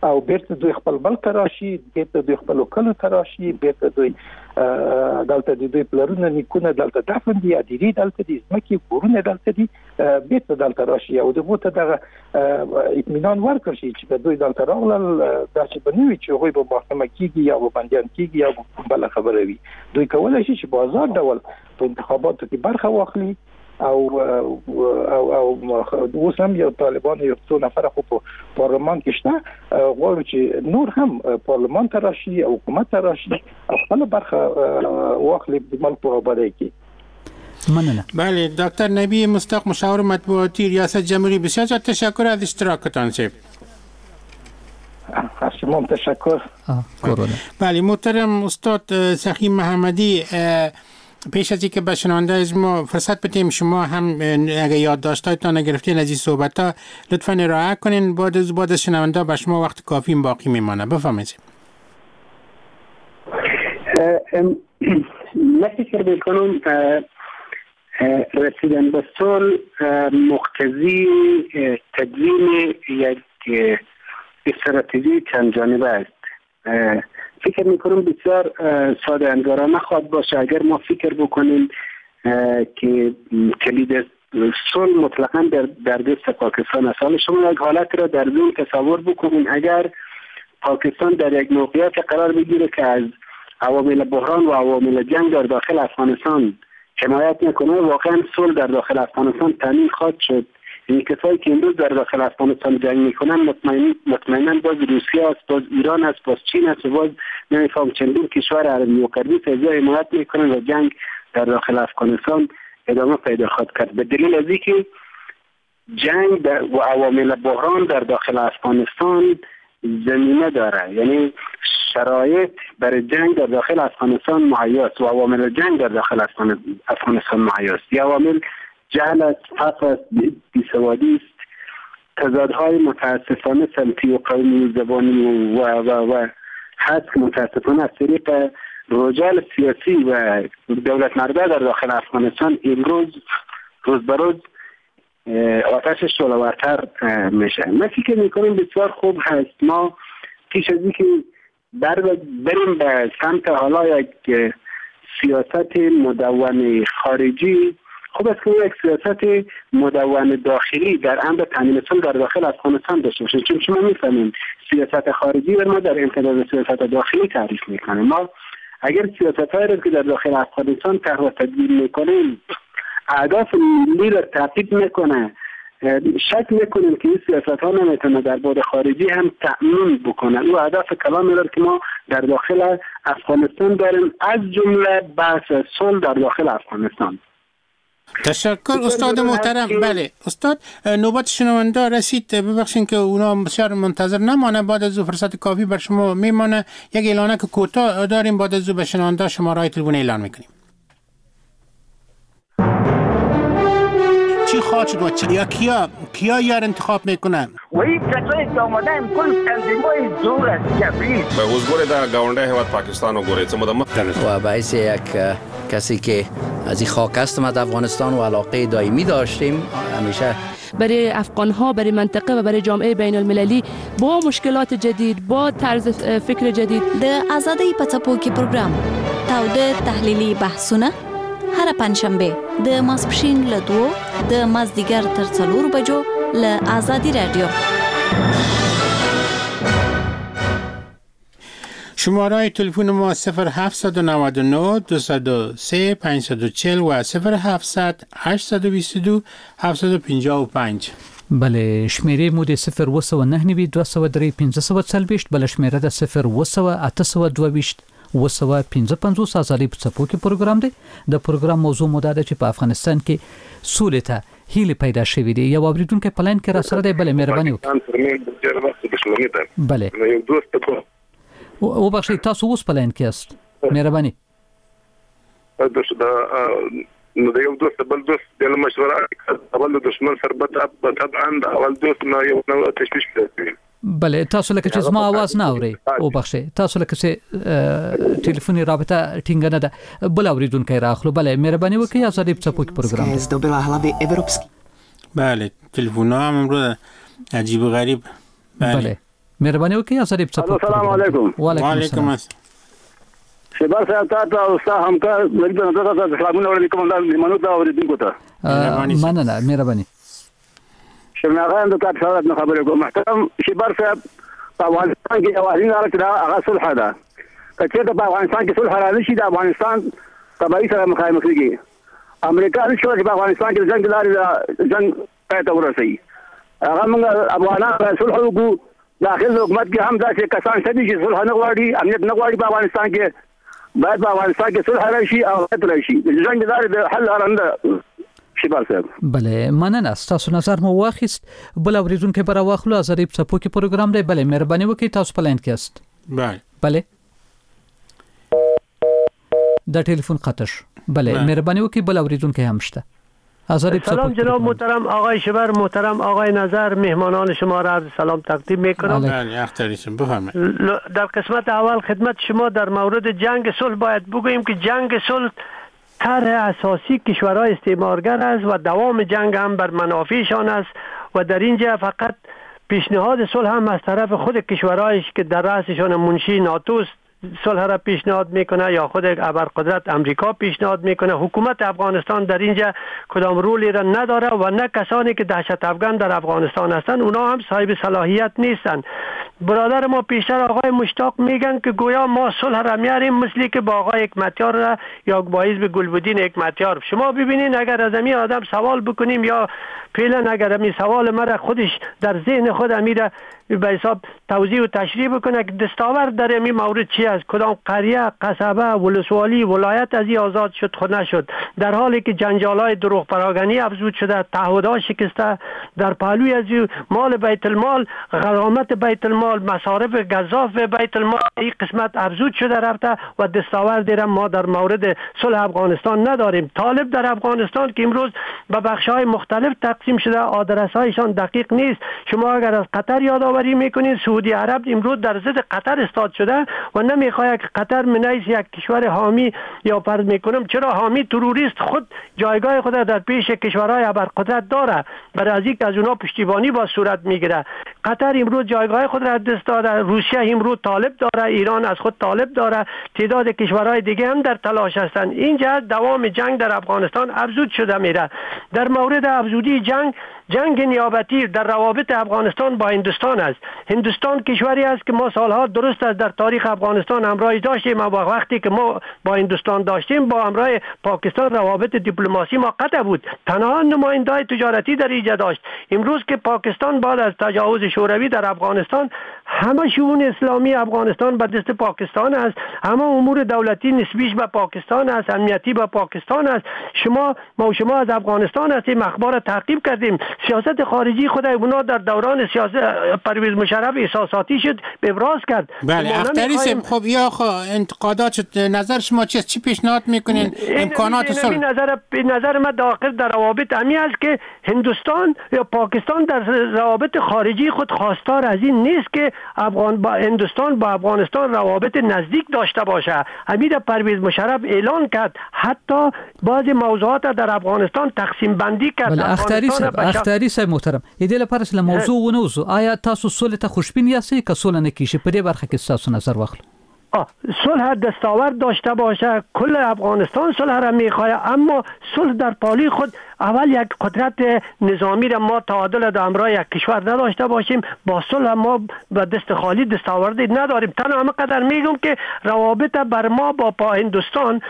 او بیرته دوی خپل ملک ته راشي، بیرته دوی خپلو کلو ته راشي، بیرته دوی دلته د دوی پلرونه نیکونه دلته دفن دي، ادیرې دلته دي، ځمکې کورونه دلته دي، بیرته دلته راشي او دغو ته دغه اطمینان ورکړ شي چې که دوی دلته راغلل داسې به نه وي چې هغوی به محاکمه کیږي یا به بندیان کیږي یا به بله خبره وي. دوی کولی شي چې په ازاد ډول په انتخاباتو کې برخه واخلي او او او اوس هم یو طالبان یو څو نفره خو په پارلمان کې شته، غواړو چې نور هم پارلمان ته راشي او حکومت ته راشي او خپله برخه واخلي د ملک په آبادۍ کې. مننه. بله، دکتر نبی مصداق مشاور مطبوعاتی ریاست جمهوری، بسیار تشکر از اشتراکتان صاحب. از شما تشکر. بله محترم استاد سخی محمدی، پیش از اینکه به شنونده از ما فرصت بدیم شما هم اگه یادداشت‌هایتان گرفتین از این صحبت‌ها لطفاً ارائه کنین، بعد از بعد از شنونده به شما وقت کافی باقی میمانه. بفرمایید. من فکر میکنم رسیدن به صلح مقتضی تدوین یک استراتژی چند جانبه است. فکر میکنم بسیار ساده انگارانه خواهد باشه اگر ما فکر بکنیم که کلید صلح مطلقاً در, در دست پاکستان است. حالا شما یک حالت را در ذهن تصور بکنین، اگر پاکستان در یک موقعیت قرار بگیره که از عوامل بحران و عوامل جنگ در داخل افغانستان حمایت نکنه، واقعا صلح در داخل افغانستان تامین خواهد شد. این کسایی که امروز در داخل افغانستان جنگ میکنن مطمئن مطمئنا باز روسیه است، باز ایران است، باز چین است، باز نمیفهم چندین کشور عربی و غربی از حمایت میکنن و جنگ در داخل افغانستان ادامه پیدا خواهد کرد. به دلیل از اینکه جنگ و عوامل بحران در داخل افغانستان زمینه داره، یعنی شرایط برای جنگ در داخل افغانستان مهیا است و عوامل جنگ در داخل افغانستان مهیا است. یا عوامل جهل است، فقر است، بیسوادی است، تضادهای متاسفانه سمتی و قومی و زبانی و و و هست که متاسفانه از طریق رجال سیاسی و دولت مرده در داخل افغانستان امروز روز به روز آتش شعله‌ورتر میشه. من فکر میکنم بسیار خوب هست ما پیش از اینکه بر بریم به سمت حالا یک سیاست مدون خارجی، خوب است که یک سیاست مدون داخلی در امر تامین صلح در داخل افغانستان داشته باشیم، چون شما میفهمید سیاست خارجی ما در امتداد سیاست داخلی تعریف میکنیم. ما اگر سیاست‌هایی را که در داخل افغانستان طرح و تدبیر میکنیم اهداف ملی را تعقیب میکنه، شک میکنیم که این سیاست ها نمیتونه در بعد خارجی هم تأمین بکنه او اهداف کلامی را که ما در داخل افغانستان داریم، از جمله بحث صلح در داخل افغانستان. تشکر استاد محترم. بله استاد، نوبت شنونده رسید، ببخشین که اونا بسیار منتظر نمانه، بعد از او فرصت کافی بر شما میمانه. یک اعلانه که کوتاه داریم، بعد از او به شنونده شماره تلفن اعلان میکنیم. چی خواهد شد و چی یا کیا کیا یار انتخاب میکنن؟ و این کسایی که آمده ام کل تنظیمای زور است جبری. به اوس ګوره دا گاونډی هیواد پاکستان وګورئ څه موده مخکې و باعث یک کسی که از این خاک هستم از افغانستان و علاقه دائمی داشتیم همیشه برای افغان ها، برای منطقه و برای جامعه بین المللی با مشکلات جدید، با طرز فکر جدید. د ازادۍ په څپو کې پروګرام تاوده تحلیلي بحثونه هره پنجشنبه د ماسپښین له دوو د مازدیګر تر څلورو بجو له ازادي رادیو. شماره تلفن ما صفر هفت نه نه دو سه پنج چهار و صفر هفت هشت دو دو هفت پنج پنج. بله، شمیرې مو د صفر اووه سوه نهه نوي دوه سوه درې پنځه سوه څلوېښت، بله شمیره ده صفر اووه سوه اته سوه دوه ویشت اووه سوه پنځه پنځوس. ازادۍ په څپو کې پروګرام دی. د پروګرام موضوع مو دا ده چې په افغانستان کې سولې ته هیلې پیدا شوې دي. یو اورېدونکی په لاین کې راسره دی. بله، مهرباني وکړئ. بله، وبخښئ، تاسو اوس په لاین کې یاست، مهرباني. نو د یو دوست بل دوست د مشوره اول د دشمن سره طبعا د اول دوست نه یو نوع تشویش پیدا کوي. بله، تاسو لکه چې زما आवाज نه اورئ، وبخښئ، تاسو لکه چې ټلیفوني رابطه ټینګه نه ده. بل اورېدونکی راخلو. بله، مهرباني وکړئ، ازادي په څپو کې پروګرام. بله، تلفن هم امروز عجیب و غریب. بله، مهرباني وکړئ، ازادي په څپو. السلام علیکم. وعلیکم السلام. شبر صاحب تاسو او ستا همکار نبی نظر ته سلامونه وړاندې کوم، دا مېلمنو ته اورېدونکو ته. مننه، مهرباني. شرناغان د کاپ سره نه خبرې کوم. محترم شبر صاحب، په افغانستان کې یوازینۍ لاره چې دا هغه صلح ده. که چېرته په افغانستان کې صلح را نه شي، د افغانستان تباهي سره مخامخ کېږي. امریکا نشي کولای چې په افغانستان کې د جنګ لارې د جنګ پای ته ورسوي. هغه موږ افغانان باید صلح وکړو. داخل حکومت کې هم داسې کسان شته دي چې صلح نه غواړي، امنیت نه غواړي. په افغانستان کې باید په افغانستان کې صلح راشي او امنیت راشي. د جنګ لارې د حل لاره نه ده. شبر صاحب. بله، مننه، ستاسو نظر مو واخیست. بل اورېدونکی به راواخلو. ازادي په څپو کې پروګرام دی. بله، مهرباني وکړئ، تاسو په لاین کې یاست. بله بله، دا ټلیفون قطع شو. بله، مهرباني وکړئ، بل اورېدونکی هم شته. سلام جناب محترم آقای شبر، محترم آقای نظر، مهمانان شما را عرض سلام تقدیم میکنم. در قسمت اول خدمت شما در مورد جنگ صلح باید بگوییم که جنگ صلح طرح اساسی کشورهای استعمارگر است و دوام جنگ هم بر منافعشان است و در اینجا فقط پیشنهاد صلح هم از طرف خود کشورهایش که در رأسشان منشی ناتوست صلح را پیشنهاد میکنه یا خود ابرقدرت امریکا پیشنهاد میکنه. حکومت افغانستان در اینجا کدام رولی را نداره و نه کسانی که دهشت افغان در افغانستان هستند اونا هم صاحب صلاحیت نیستند. برادر ما پیشتر آقای مشتاق میگن که گویا ما صلح را میاریم مثلی که با آقای حکمتیار را یا با حزب گلبدین حکمتیار. شما ببینین اگر از امی آدم سوال بکنیم یا فعلا اگر امی سوال مرا خودش در ذهن خود امیره به حساب توضیح و تشریح بکنه که دستاورد در امی مورد چی است، کدام قریه، قصبه، ولسوالی، ولایت از این آزاد شد خود نشد، در حالی که جنجالای دروغ پراگنی افزود شده، تعهدها شکسته، در پهلوی از مال بیت المال، غرامت بیت المال، مصارف گزاف بیت المال این قسمت افزود شده رفته و دستاورد را ما در مورد صلح افغانستان نداریم. طالب در افغانستان که امروز به بخش‌های مختلف تقسیم شده، آدرس‌هایشان دقیق نیست. شما اگر از قطر یاد آورید یادآوری میکنین سعودی عرب امروز در ضد قطر استاد شده و نمیخواد که قطر منیس یک کشور حامی یا فرض میکنم چرا حامی تروریست خود جایگاه خود در پیش کشورهای ابرقدرت داره، برای از اینکه از اونا پشتیبانی با صورت میگیره. قطر امروز جایگاه خود را دست داده، روسیه امروز طالب داره، ایران از خود طالب داره، تعداد کشورهای دیگه هم در تلاش هستند. اینجا دوام جنگ در افغانستان افزود شده میره. در مورد افزودی جنگ، جنگ نیابتی در روابط افغانستان با هندوستان است. هندوستان کشوری است که ما سالها درست است در تاریخ افغانستان همراهی داشتیم، اما وقتی که ما با هندوستان داشتیم با همراه پاکستان روابط دیپلماسی ما قطع بود، تنها نماینده‌های تجارتی در اینجا داشت. امروز که پاکستان بعد از تجاوز شوروی در افغانستان همه شئون اسلامی افغانستان به دست پاکستان است، همه امور دولتی نسبیش به پاکستان است، امنیتی به پاکستان است. شما ما شما از افغانستان هستیم، اخبار تعقیب کردیم، سیاست خارجی خود اونا در دوران سیاست پرویز مشرف احساساتی شد، ابراز کرد. بله اختری صاحب، خب یا خو انتقادات نظر شما چیست؟ چی پیشنهاد میکنین؟ امکانات صلح؟ نظر نظر من داخل در روابط امی است که هندوستان یا پاکستان در روابط خارجی خود خواستار از این نیست که افغان با هندوستان با افغانستان روابط نزدیک داشته باشه. امیر پرویز مشرف اعلان کرد، حتی بعضی موضوعات در افغانستان تقسیم بندی کرد. بله اختری صاحب، اختری صاحب محترم، دې لپاره چې له موضوع ونه وځو، آیا تاسو سولې ته خوشبین یاستئ که سوله نه کیږي؟ په دې برخه کې ستاسو نظر واخلو. صلح دستاورد داشته باشه، کل افغانستان صلح را میخواه، اما صلح در پالی خود اول یک قدرت نظامی را ما تعادل در همراه یک کشور نداشته باشیم، با صلح ما به دست خالی دستاوردی نداریم. تنها همه قدر میگم که روابط بر ما با پا هندوستان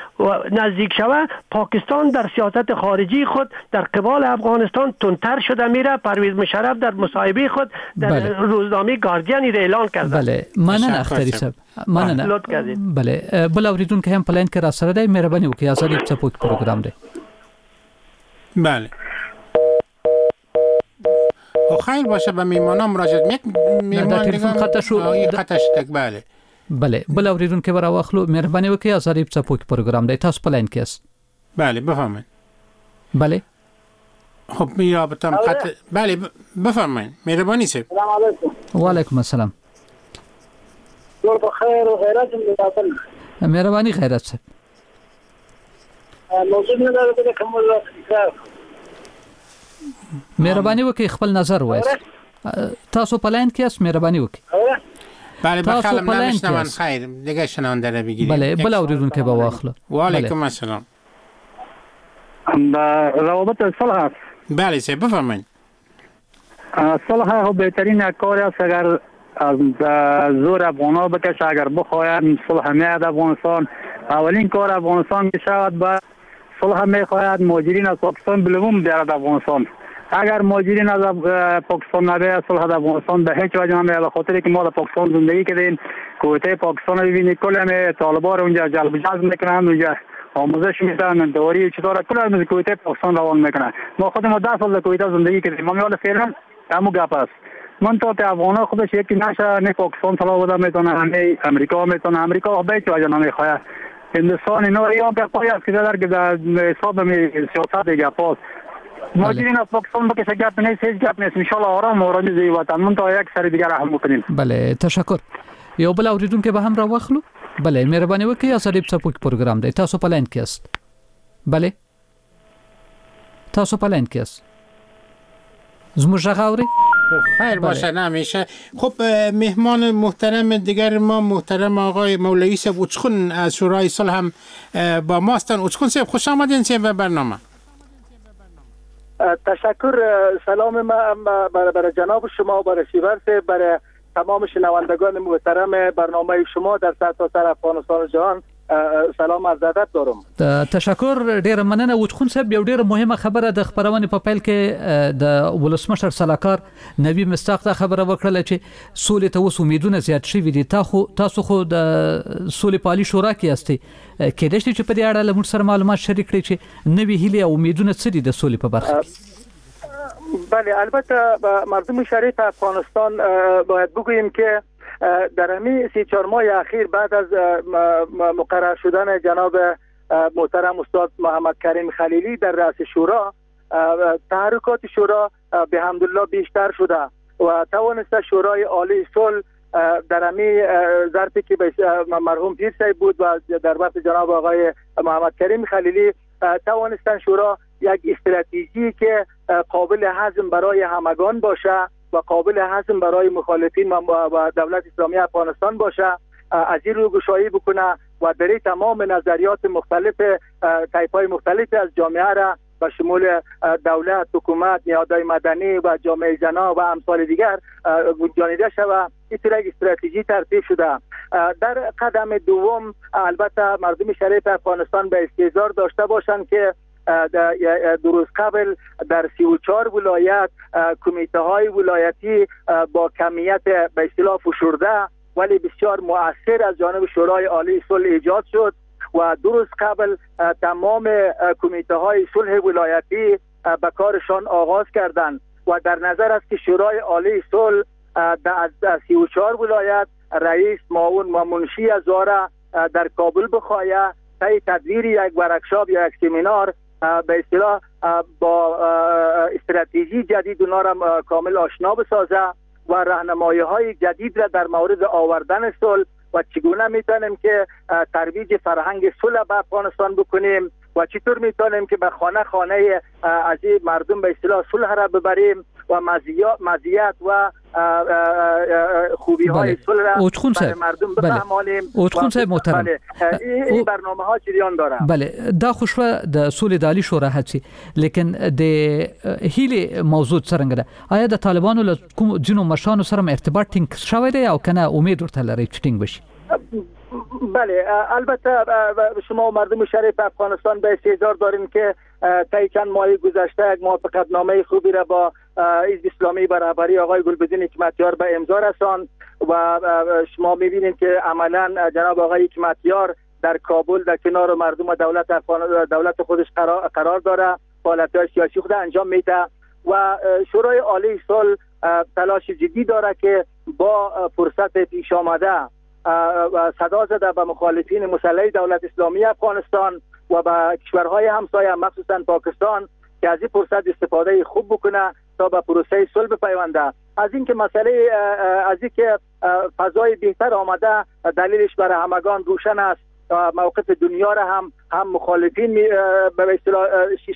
نزدیک شوه، پاکستان در سیاست خارجی خود در قبال افغانستان تندتر شده میره. پرویز مشرف در مصاحبه خود در بله. روزنامه گاردین اعلان کرده. بله مننه اختری صاحب، مننه. بله بل اوریدونکی هم په لاین کې را سره دی، مهرباني وکړئ ازادي په څپو کې پروګرام دی. بله خیر باشه، به میمانا مراجعت یک میمان تلفن قطع شو، قطع شد. بله بله بل اوریدونکی به راواخلو، مهرباني وکړئ ازادي په څپو کې پروګرام دی، تاسو په لاین کې یاست. بله بفرمایید. بله خب می رابطم قطع. بله بفرمایید مهرباني صاحب. السلام علیکم. و علیکم السلام. جوړ په خیر او غیرت مې مهرباني غیرت صاحب. موضوع نه ده کوم تکرار. مهرباني وکړئ خپل نظر وایاست. تاسو په لاین کې یاست، مهرباني وکړئ. بله بخلم نمیشنون. خیر دیگه شنونده رو بگیریم. بله بل اوریدونکی به واخلو. و علیکم السلام. روابط صلح است. بله صاحب بفرمایید. صلح خب بهترین کار است، اگر از زور افغان‌ها بکشه، اگر بخواهند صلح میاد افغانستان. اولین کار افغانستان میشود با صلح میخواهد مهاجرین از پاکستان بلوم بیارد افغانستان. اگر مهاجرین از پاکستان نبیاد صلح در افغانستان به هیچ وجه نمیاد، به خاطر که ما در پاکستان زندگی کردیم. کویته پاکستان رو ببینید، کل همه طالبان رو اونجا جلب جذب میکنن، اونجا آموزش میدن، دوری چطور کل از کویته پاکستان روان میکنن. ما خودمون ده سال در کویته زندگی کردیم، ما حالا فعلا همون گپ است. من تا ته افغان‌ها خودش یکی نشه، نه پاکستان صلاح بده میتونه، نه امریکا میتونه. امریکا به هیچ وجه نمیخواد. هندوستان اینا یا گپای است که در در حساب می سیاست گپاست. مهاجرین از پاکستان بکشه گپ نیست، هیچ گپ نیست. ان شاء الله آرام آرامی زی وطن من تا یک سر دیگر هم بکنیم. بله تشکر. یو بل اوریدونکی به هم را واخلو. بله مهرباني وکړئ ازادي په څپو کې پروګرام دی، تاسو په لاین کې یاست. بله تاسو په لاین کې یاست، زموږ غږ اورئ؟ خیر باشه نمیشه. خب مهمان محترم دیگر ما محترم آقای مولوی صاحب اوچخون از شورای صلح هم با ما هستند. اوچخون صاحب خوش آمدین صاحب به برنامه. تشکر. سلام ما برای جناب شما، برای شیور صاحب، برای تمام شنوندگان محترم برنامه شما در سرتاسر افغانستان و جهان سلام عرض ادب دارم. تشکر ډیره مننه. اوچخون صاحب یو ډیره مهمه خبره د خبرونې په پیل کې د ولسمشر سلاکار نبی مصداق دا خبره وکړه چې سولې ته اوس امیدونه زیات شوي دي. تاسو خو د سولې په عالي شورا کې یاستئ، کېدای شي چې په دې اړه له موږ سره معلومات شریک کړئ چې نوې هیلې او امیدونه څه دي د سولې په برخه کې؟ بله البته مردم شریف افغانستان باید بگوییم که در همین سی چهار ماه اخیر بعد از مقرر شدن جناب محترم استاد محمد کریم خلیلی در رأس شورا، تحرکات شورا به حمدالله بیشتر شده و توانسته شورای عالی صلح در همی ظرفی که مرحوم پیر صاحب بود و در وقت جناب آقای محمد کریم خلیلی توانستن شورا یک استراتژی که قابل هضم برای همگان باشه و قابل هضم برای مخالفین و دولت اسلامی افغانستان باشه از این رو گشایی بکنه و برای تمام نظریات مختلف طیف‌های مختلف از جامعه را به شمول دولت، حکومت، نهادهای مدنی و جامعه زنا و امثال دیگر گنجانیده شود. این یک استراتژی ترتیب شده. در قدم دوم البته مردم شریف افغانستان به استیضاح داشته باشند که دو روز قبل در سی و چهار ولایت کمیته های ولایتی با کمیت به اصطلاح فشرده ولی بسیار مؤثر از جانب شورای عالی صلح ایجاد شد و دو روز قبل تمام کمیته های صلح ولایتی به کارشان آغاز کردند و در نظر است که شورای عالی صلح در سی و چهار ولایت رئیس، معاون و منشی از در کابل بخواهد طی تدویر یک ورکشاپ یا یک سمینار به اصطلاح با استراتژی جدید اونا را کامل آشنا بسازه و راهنمایی های جدید را در مورد آوردن صلح و چگونه میتونیم که ترویج فرهنگ صلح به افغانستان بکنیم و چطور میتونیم که به خانه خانه از مردم به اصطلاح صلح را ببریم و مزیت و خوبی های صلح را برای مردم بفهمانیم. اوتخون صاحب محترم، این برنامه ها جریان داره. بله، دا خو شوه د سولې د عالي شورا هڅې، لیکن د هیلې موضوع څرنګه ده؟ آیا د طالبانو له کوم ځینو مشرانو سره ارتباط ټینګ شوی دی او کنه امید ورته لرئ چې ټینګ بشي؟ بله، البته شما مردم شریف افغانستان به استحضار دارین که طی چند ماه گذشته یک موافقت نامه خوبی را با حزب اسلامی به رهبری آقای گلبدین حکمتیار به امضا رساند و شما می‌بینید که عملاً جناب آقای حکمتیار در کابل در کنار مردم و دولت افغان دولت خودش قرار, قرار داره، فعالیت‌های سیاسی خود انجام میده و شورای عالی صلح تلاش جدی داره که با فرصت پیش آمده صدا زده به مخالفین مسلح دولت اسلامی افغانستان و به کشورهای همسایه مخصوصا پاکستان که از این فرصت استفاده خوب بکنه تا به پروسه صلح بپیونده. از اینکه مسئله از اینکه فضای بهتر آمده دلیلش برای همگان روشن است. موقف دنیا را هم هم مخالفین به اصطلاح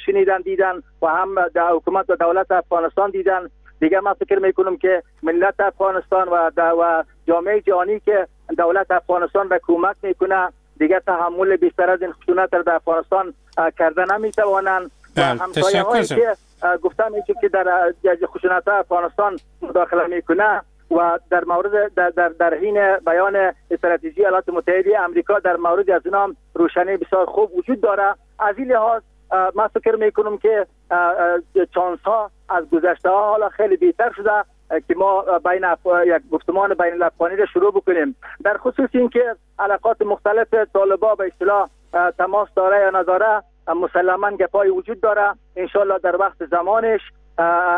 شنیدن دیدن و هم در حکومت و دولت افغانستان دیدن. دیگه من فکر میکنم که ملت افغانستان و و جامعه جهانی که دولت افغانستان را کمک میکنه دیگه تحمل بیشتر از این خشونت را در افغانستان کرده نمیتوانند. همسایه هایی که گفتم که در خشونت افغانستان مداخله میکنه و در مورد در در, در حین بیان استراتژی ایالات متحده آمریکا در مورد از اینا روشنی بسیار خوب وجود داره. از این لحاظ من فکر میکنم که چانس ها از گذشته ها حالا خیلی بهتر شده که ما بین یک گفتمان بین الافغانی را شروع بکنیم. در خصوص اینکه علاقات مختلف طالبا به اصطلاح تماس داره یا نداره مسلما گپای وجود داره. انشالله در وقت زمانش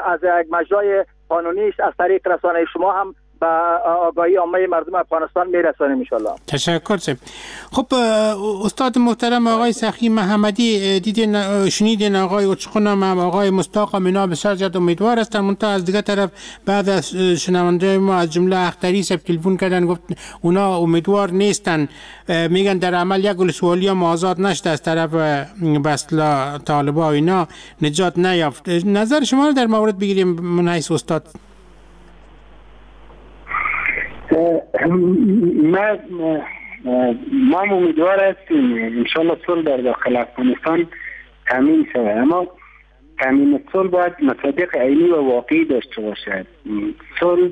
از یک مجرای قانونیش از طریق رسانه شما هم به آگاهی عامه مردم افغانستان میرسانیم انشالله. تشکر سب. خب استاد محترم آقای سخی محمدی، دیدین شنیدین آقای اوچقون هم آقای مستاق هم اینا بسیار زیاد امیدوار هستند، منتها از دیگه طرف بعد از شنونده ما از جمله اختری سب تلفن کردن گفت اونا امیدوار نیستن، میگن در عمل یک ولسوالی هم آزاد نشده از طرف به اصطلاح طالبا و اینا نجات نیافت. نظر شما رو در مورد بگیریم من حیث استاد. ما ما امیدوار هستیم انشالله صلح در داخل افغانستان تامین شود، اما تامین صلح باید مصادیق عینی و واقعی داشته باشد. صلح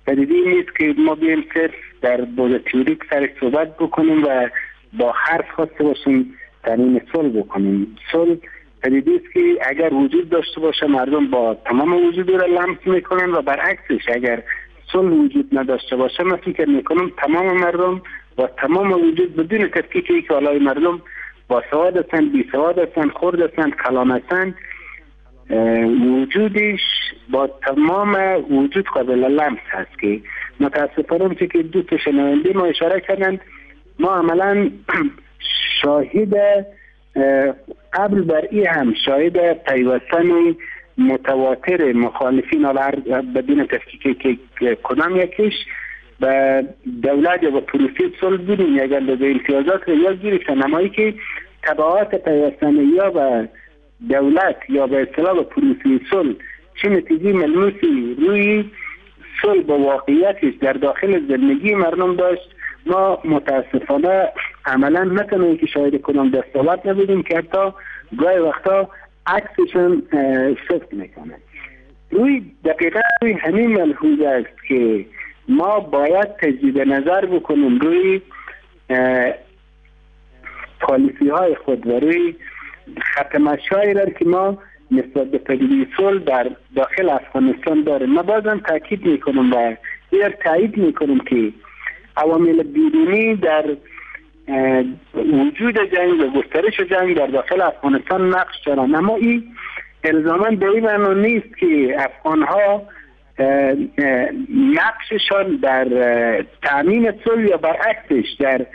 پدیده نیست که ما بیایم صرف در بعد تئوریک سر صحبت بکنیم و با حرف خواسته باشیم تامین صلح بکنیم. صلح پدیده است که اگر وجود داشته باشه مردم با تمام وجود را لمس میکنن و برعکسش اگر صلح وجود نداشته باشه من فکر میکنم تمام مردم با تمام وجود بدون تفکیک که حالای مردم با سواد هستند، بی سواد هستند، خرد هستند، کلان هستند، وجودش با تمام وجود قابل لمس هست که متاسفانه که دو تا شنونده ما اشاره کردند ما عملا شاهد قبل بر ای هم شاهد پیوستن متواتر مخالفین حالا بدون تفکیک که کدام یکیش به دولت یا به پروسه صلح بودیم یک اندازه امتیازات را یاد گرفتن، اما که تبعات پیوستن یا به دولت یا به اصطلاح به پروسه صلح چه نتیجه ملموسی روی صلح با واقعیتش در داخل زندگی مردم داشت، ما متاسفانه عملا نتونیم که شاهد کنم دستاورد نبودیم که حتی گاهی وقتا عکسشون صدق میکنه. روی دقیقا روی همین ملحوظ است که ما باید تجدید نظر بکنیم روی پالیسی های خود و روی خط مشی را که ما نسبت به پدیده صلح در داخل افغانستان داریم. ما بازم تاکید میکنم و ایر تایید میکنم که عوامل بیرونی در وجود جنگ و گسترش جنگ در داخل افغانستان نقش دارند، اما این الزاماً به این معنا نیست که افغانها نقششان در تأمین صلح یا برعکسش در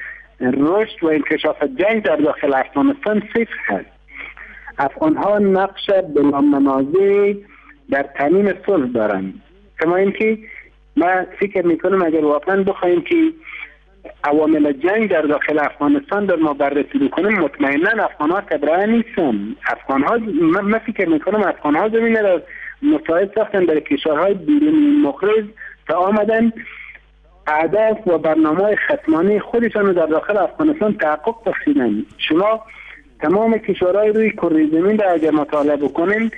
رشد و انکشاف جنگ در داخل افغانستان صفر هست. افغانها نقش بلا منازع در تأمین صلح دارند. کما اینکه ما فکر میکنم اگر واقعا بخوایم که عوامل جنگ در داخل افغانستان در ما بررسی بکنیم، مطمئنا افغانها تبرئه نیستن. افغانها من فکر میکنم افغانها زمینه را مساعد ساختن در کشورهای بیرونی مقرض تا آمدن اهداف و برنامه‌های ختمانی خودشان رو در داخل افغانستان تحقق بخشیدن. شما تمام کشورهای روی کره زمین را اگر مطالعه بکنین،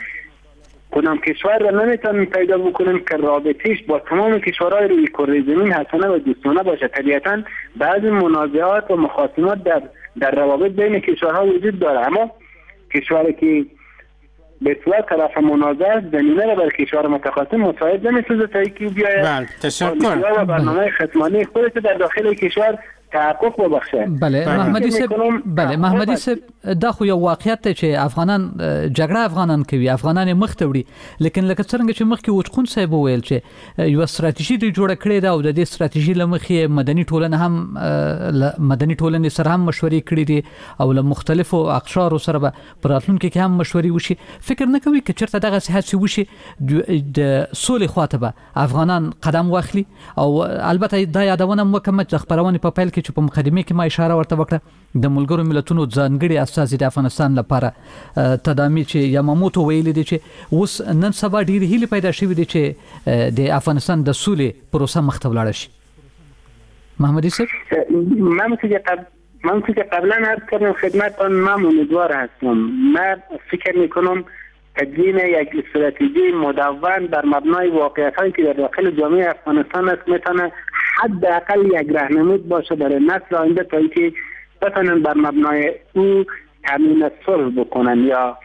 کدام کشور را نمیتونن پیدا بکنیم که رابطهش با تمام کشورهای روی کره زمین حسنه و دوستانه باشه. طبیعتا بعضی منازعات و مخاصمات در در روابط بین کشورها وجود داره، اما کشوری که به صورت طرف منازعه زمینه را بر کشور متخاصم مساعد نمیسازه تا اینکه بیاید. بله، تشکر. و برنامه ختمانی خودش در داخل کشور تحقق وبخښه. بله محمدي صاحب، بله محمدي صاحب، دا خو یو واقعیت دی چې افغانان جګړه افغانان کوي، افغانان یې مخ ته وړي، لیکن لکه څرنګه چې مخکې اوچقون صاحب وویل چې یوه ستراتیژي دوی جوړه کړې ده او د دې ستراتیژي له مخې مدني ټولنه هم مدني ټولنې سره هم مشورې کړې دي او له مختلفو اقشارو سره به په راتلونکي کې هم مشورې وشي. فکر نه کوي که چېرته دغسې هڅې وشي د سولې خواته به افغانان قدم واخلي؟ او البته دا یادونه هم وکړم چې د خپرونې په پیل کې چې په مقدمه کې ما اشاره ورته وکړه، د ملګرو ملتونو ځانګړي استازي د افغانستان لپاره تدامي چې یاماموتو ویلي دي چې اوس نن سبا ډېرې هیلې پیدا شوې دي چې د افغانستان د سولې پروسه مخته ولاړه شي. محمدي صاحب، من که قبل من که قبلا عرض کردم خدمتتان، من امیدوار هستم. من فکر میکنم تدوین یک استراتژی مدون بر مبنای واقعیت‌هایی که در داخل جامعه افغانستان است میتونه حداقل یک راهنمود باشه برای نسل آینده تا اینکه بتونن بر مبنای او تامین صلح بکنن یا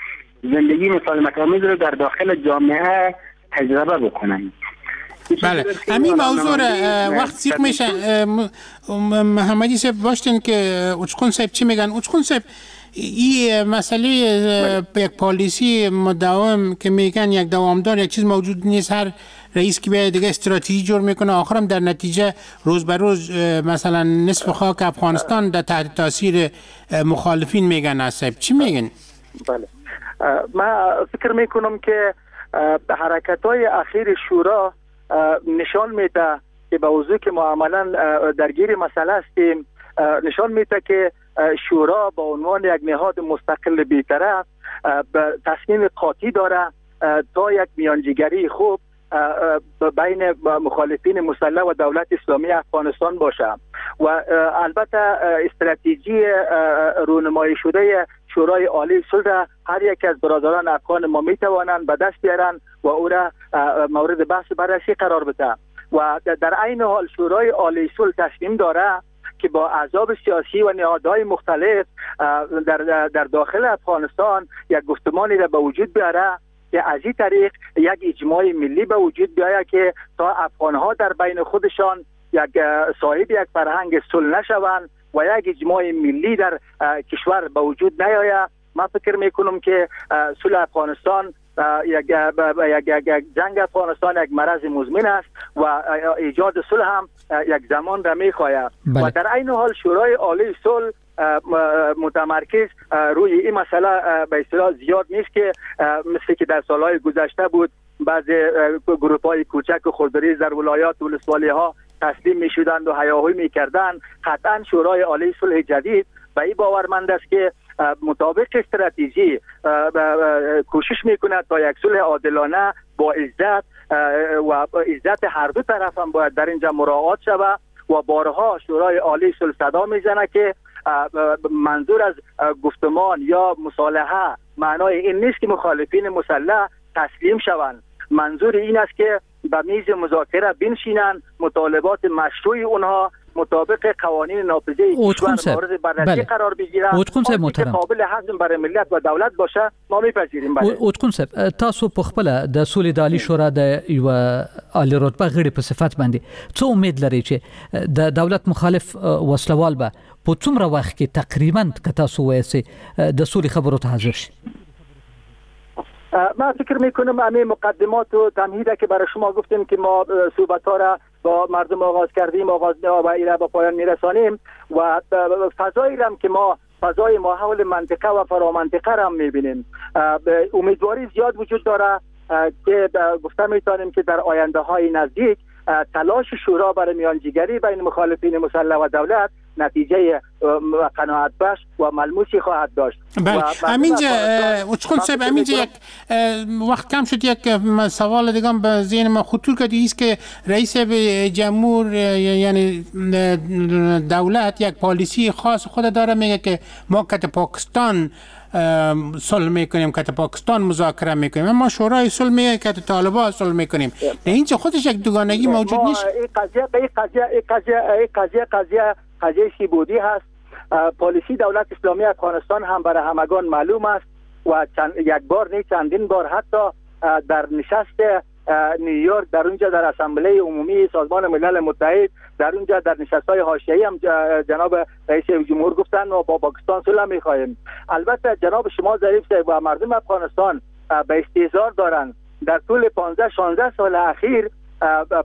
زندگی مسالمت‌آمیز رو در داخل جامعه تجربه بکنن. بله، همین موضوع وقت سیخ میشه. محمدی صاحب باشتین که اوچقون صاحب چی میگن؟ اوچقون صاحب، این مسئله یک پالیسی مداوم که میگن یک دوامدار یک چیز موجود نیست، هر رئیس که بیاد دیگه استراتژی جور میکنه، آخرم در نتیجه روز به روز مثلا نصف خاک افغانستان در تحت تاثیر مخالفین میگن. صاحب چی میگن؟ بله، من فکر میکنم که حرکت های اخیر شورا نشان میده که به وضوح که ما عملا درگیر مسئله هستیم، نشان میده که شورا به عنوان یک نهاد مستقل بی‌طرف تصمیم قاطع داره تا یک میانجیگری خوب بین مخالفین مسلح و دولت اسلامی افغانستان باشه و البته استراتژی رونمایی شده شورای عالی صلح هر یک از برادران افغان ما می توانند به دست بیارن و او را مورد بحث بررسی قرار بده و در عین حال شورای عالی صلح تصمیم داره که با احزاب سیاسی و نهادهای مختلف در در داخل افغانستان یک گفتمانی را به وجود بیاره که از این طریق یک اجماع ملی به وجود بیاید که تا افغانها در بین خودشان یک صاحب یک فرهنگ صلح نشوند و یک اجماع ملی در کشور به وجود نیاید. من فکر میکنم که صلح افغانستان یک یک جنگ افغانستان یک مرض مزمن است و ایجاد صلح هم یک زمان را میخواهد. و در عین حال شورای عالی صلح متمرکز روی این مسئله به اصطلاح زیاد نیست که مثل که در سالهای گذشته بود، بعض گروپ‌های کوچک و خردریز در ولایات و ولسوالی‌ها تسلیم می‌شدند و هیاهوی می‌کردند. قطعاً شورای عالی صلح جدید به این باورمند است که مطابق استراتژی کوشش می‌کند تا یک صلح عادلانه با عزت و عزت هر دو طرف هم باید در اینجا مراعات شود و بارها شورای عالی صلح صدا میزنه که منظور از گفتمان یا مصالحه معنای این نیست که مخالفین مسلح تسلیم شوند، منظور این است که به میز مذاکره بنشینند، مطالبات مشروع اونها مطابق قوانین نافذه کشور مورد بررسی قرار بگیرند، که قابل هضم برای ملت و دولت باشه ما میپذیریم. بله اوتقون صاحب، تاسو په خپل د سولې د عالی شورا د یو عالی رتبه غړي په صفت باندې څه امید لرئ چې د دولت مخالف وسلوال به په څومره وخت کې تقریبا که تاسو وایئ د سولې خبرو ته حاضر شي؟ من فکر میکنم همه مقدمات و تمهیده که برای شما گفتیم که ما صحبت ها را با مردم آغاز کردیم، آغاز و ایره با پایان میرسانیم و فضایی را که ما فضای ماحول منطقه و فرامنطقه را هم میبینیم، امیدواری زیاد وجود داره که گفته میتونیم که در آینده های نزدیک تلاش شورا برای میانجیگری بین مخالفین مسلح و دولت نتیجه قناعت بخش و ملموسی خواهد داشت. بله همینجا اوچقون صاحب، همینجا یک وقت کم شد، یک سوال دیگه به ذهن ما خطور کرد، ایست که رئیس جمهور یعنی دولت یک پالیسی خاص خود داره، میگه که ما کت پاکستان صلح میکنیم، کت پاکستان مذاکره میکنیم، اما شورای صلح میگه کت طالبان صلح میکنیم. در اینجا خودش یک دوگانگی موجود نیست. این قضیه این قضیه این قضیه این قضیه قضیه قضیه سیبودی هست. پالیسی دولت اسلامی افغانستان هم برای همگان معلوم است و چند، یک بار نه چندین بار حتی در نشست نیویورک، در اونجا در اسامبله عمومی سازمان ملل متحد، در اونجا در نشست‌های حاشیه‌ای هم جناب رئیس جمهور گفتن ما با پاکستان صلح می‌خواهیم. البته جناب شما ظریف صاحب و مردم افغانستان به استهزار دارند. در طول پانزده شانزده سال اخیر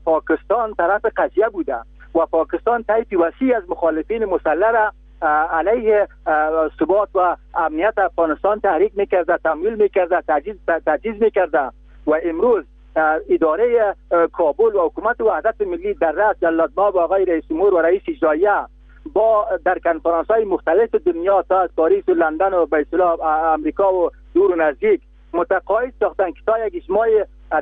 پاکستان طرف قضیه بوده و پاکستان طیف وسیع از مخالفین مسلح را علیه ثبات و امنیت افغانستان تحریک می‌کرده، تمویل می‌کرده، تجهیز تجهیز می‌کرده و امروز اداره کابل و حکومت وحدت ملی در رأس جلالتمآب آقای رئیس جمهور و رئیس اجراییه با در کنفرانس های مختلف دنیا تا از پاریس و لندن و به اصطلاح امریکا و دور و نزدیک متقاعد ساختن که تا یک اجماع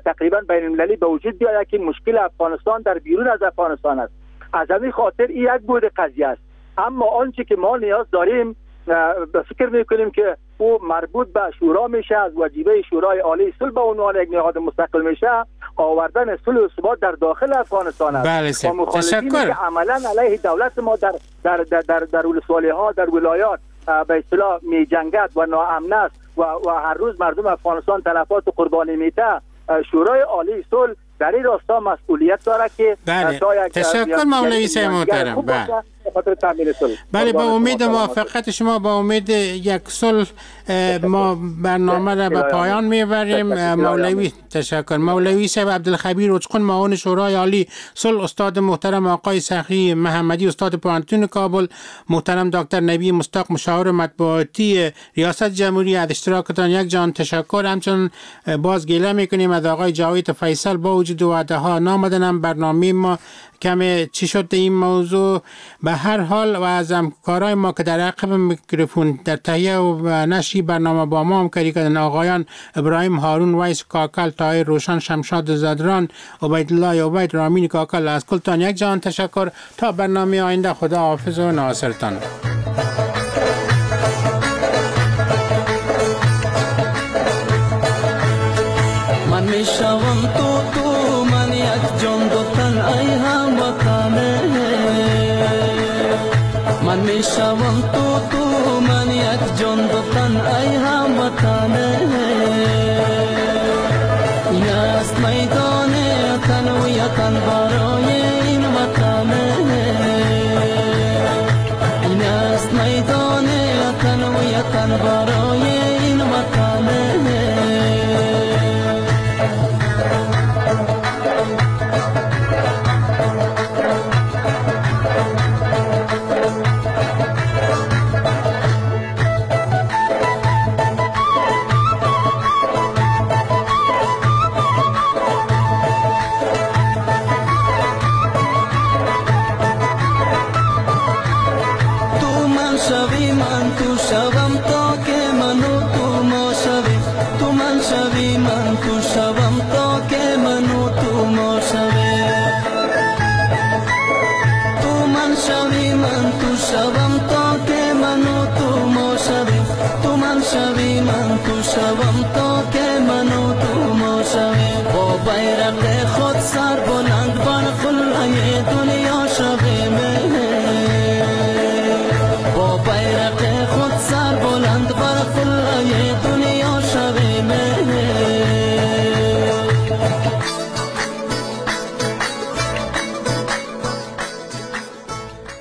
تقریبا بین المللی به وجود بیاید که مشکل افغانستان در بیرون از افغانستان است. از همین خاطر این یک بود قضیه است. اما آنچه که ما نیاز داریم به فکر میکنیم که او مربوط به شورا میشه، از وجیبه شورای عالی صلح به عنوان یک نهاد مستقل میشه، آوردن صلح و ثبات در داخل افغانستان است. بله تشکر. که عملا علیه دولت ما در در در در, در ولسوالی ها، در ولایات به اصطلاح میجنگد و ناامن است و, و هر روز مردم افغانستان تلفات و قربانی میده. شورای عالی صلح در این راستا مسئولیت داره که بله. تشکر مولوی صاحب محترم. بله. بله با امید موافقت شما، با امید یک صلح ما برنامه را به پایان میبریم. مولوی تشکر. مولوی صاحب عبدالخبیر اوچقون معاون شورای عالی صلح، استاد محترم آقای سخی محمدی استاد پوهنتون کابل، محترم دکتر نبی مستاق مشاور مطبوعاتی ریاست جمهوری، از اشتراکتان یک جان تشکر. همچنین باز گله میکنیم از آقای جاوید فیصل، با وجود وعده ها نامدنم برنامه ما کمی چی شد این موضوع. به هر حال و از همکارای ما که در عقب میکروفون در تهیه و نشر برنامه با ما همکاری کردن، آقایان ابراهیم هارون، ویس کاکل، طاهر روشن، شمشاد زدران، عبیدالله عبید، رامین کاکل، از کلتان یک جهان تشکر. تا برنامه آینده خدا حافظ و ناصرتان. من میشوم تو تو من یک جان دو تن ای هم وطنه، من میشوم تو تو من یک جان دو تن ای هم وطنه، این است میدان تن و یتن برای این وطنه، این است میدان تن و یتن برای این وطنه. تو شوم تا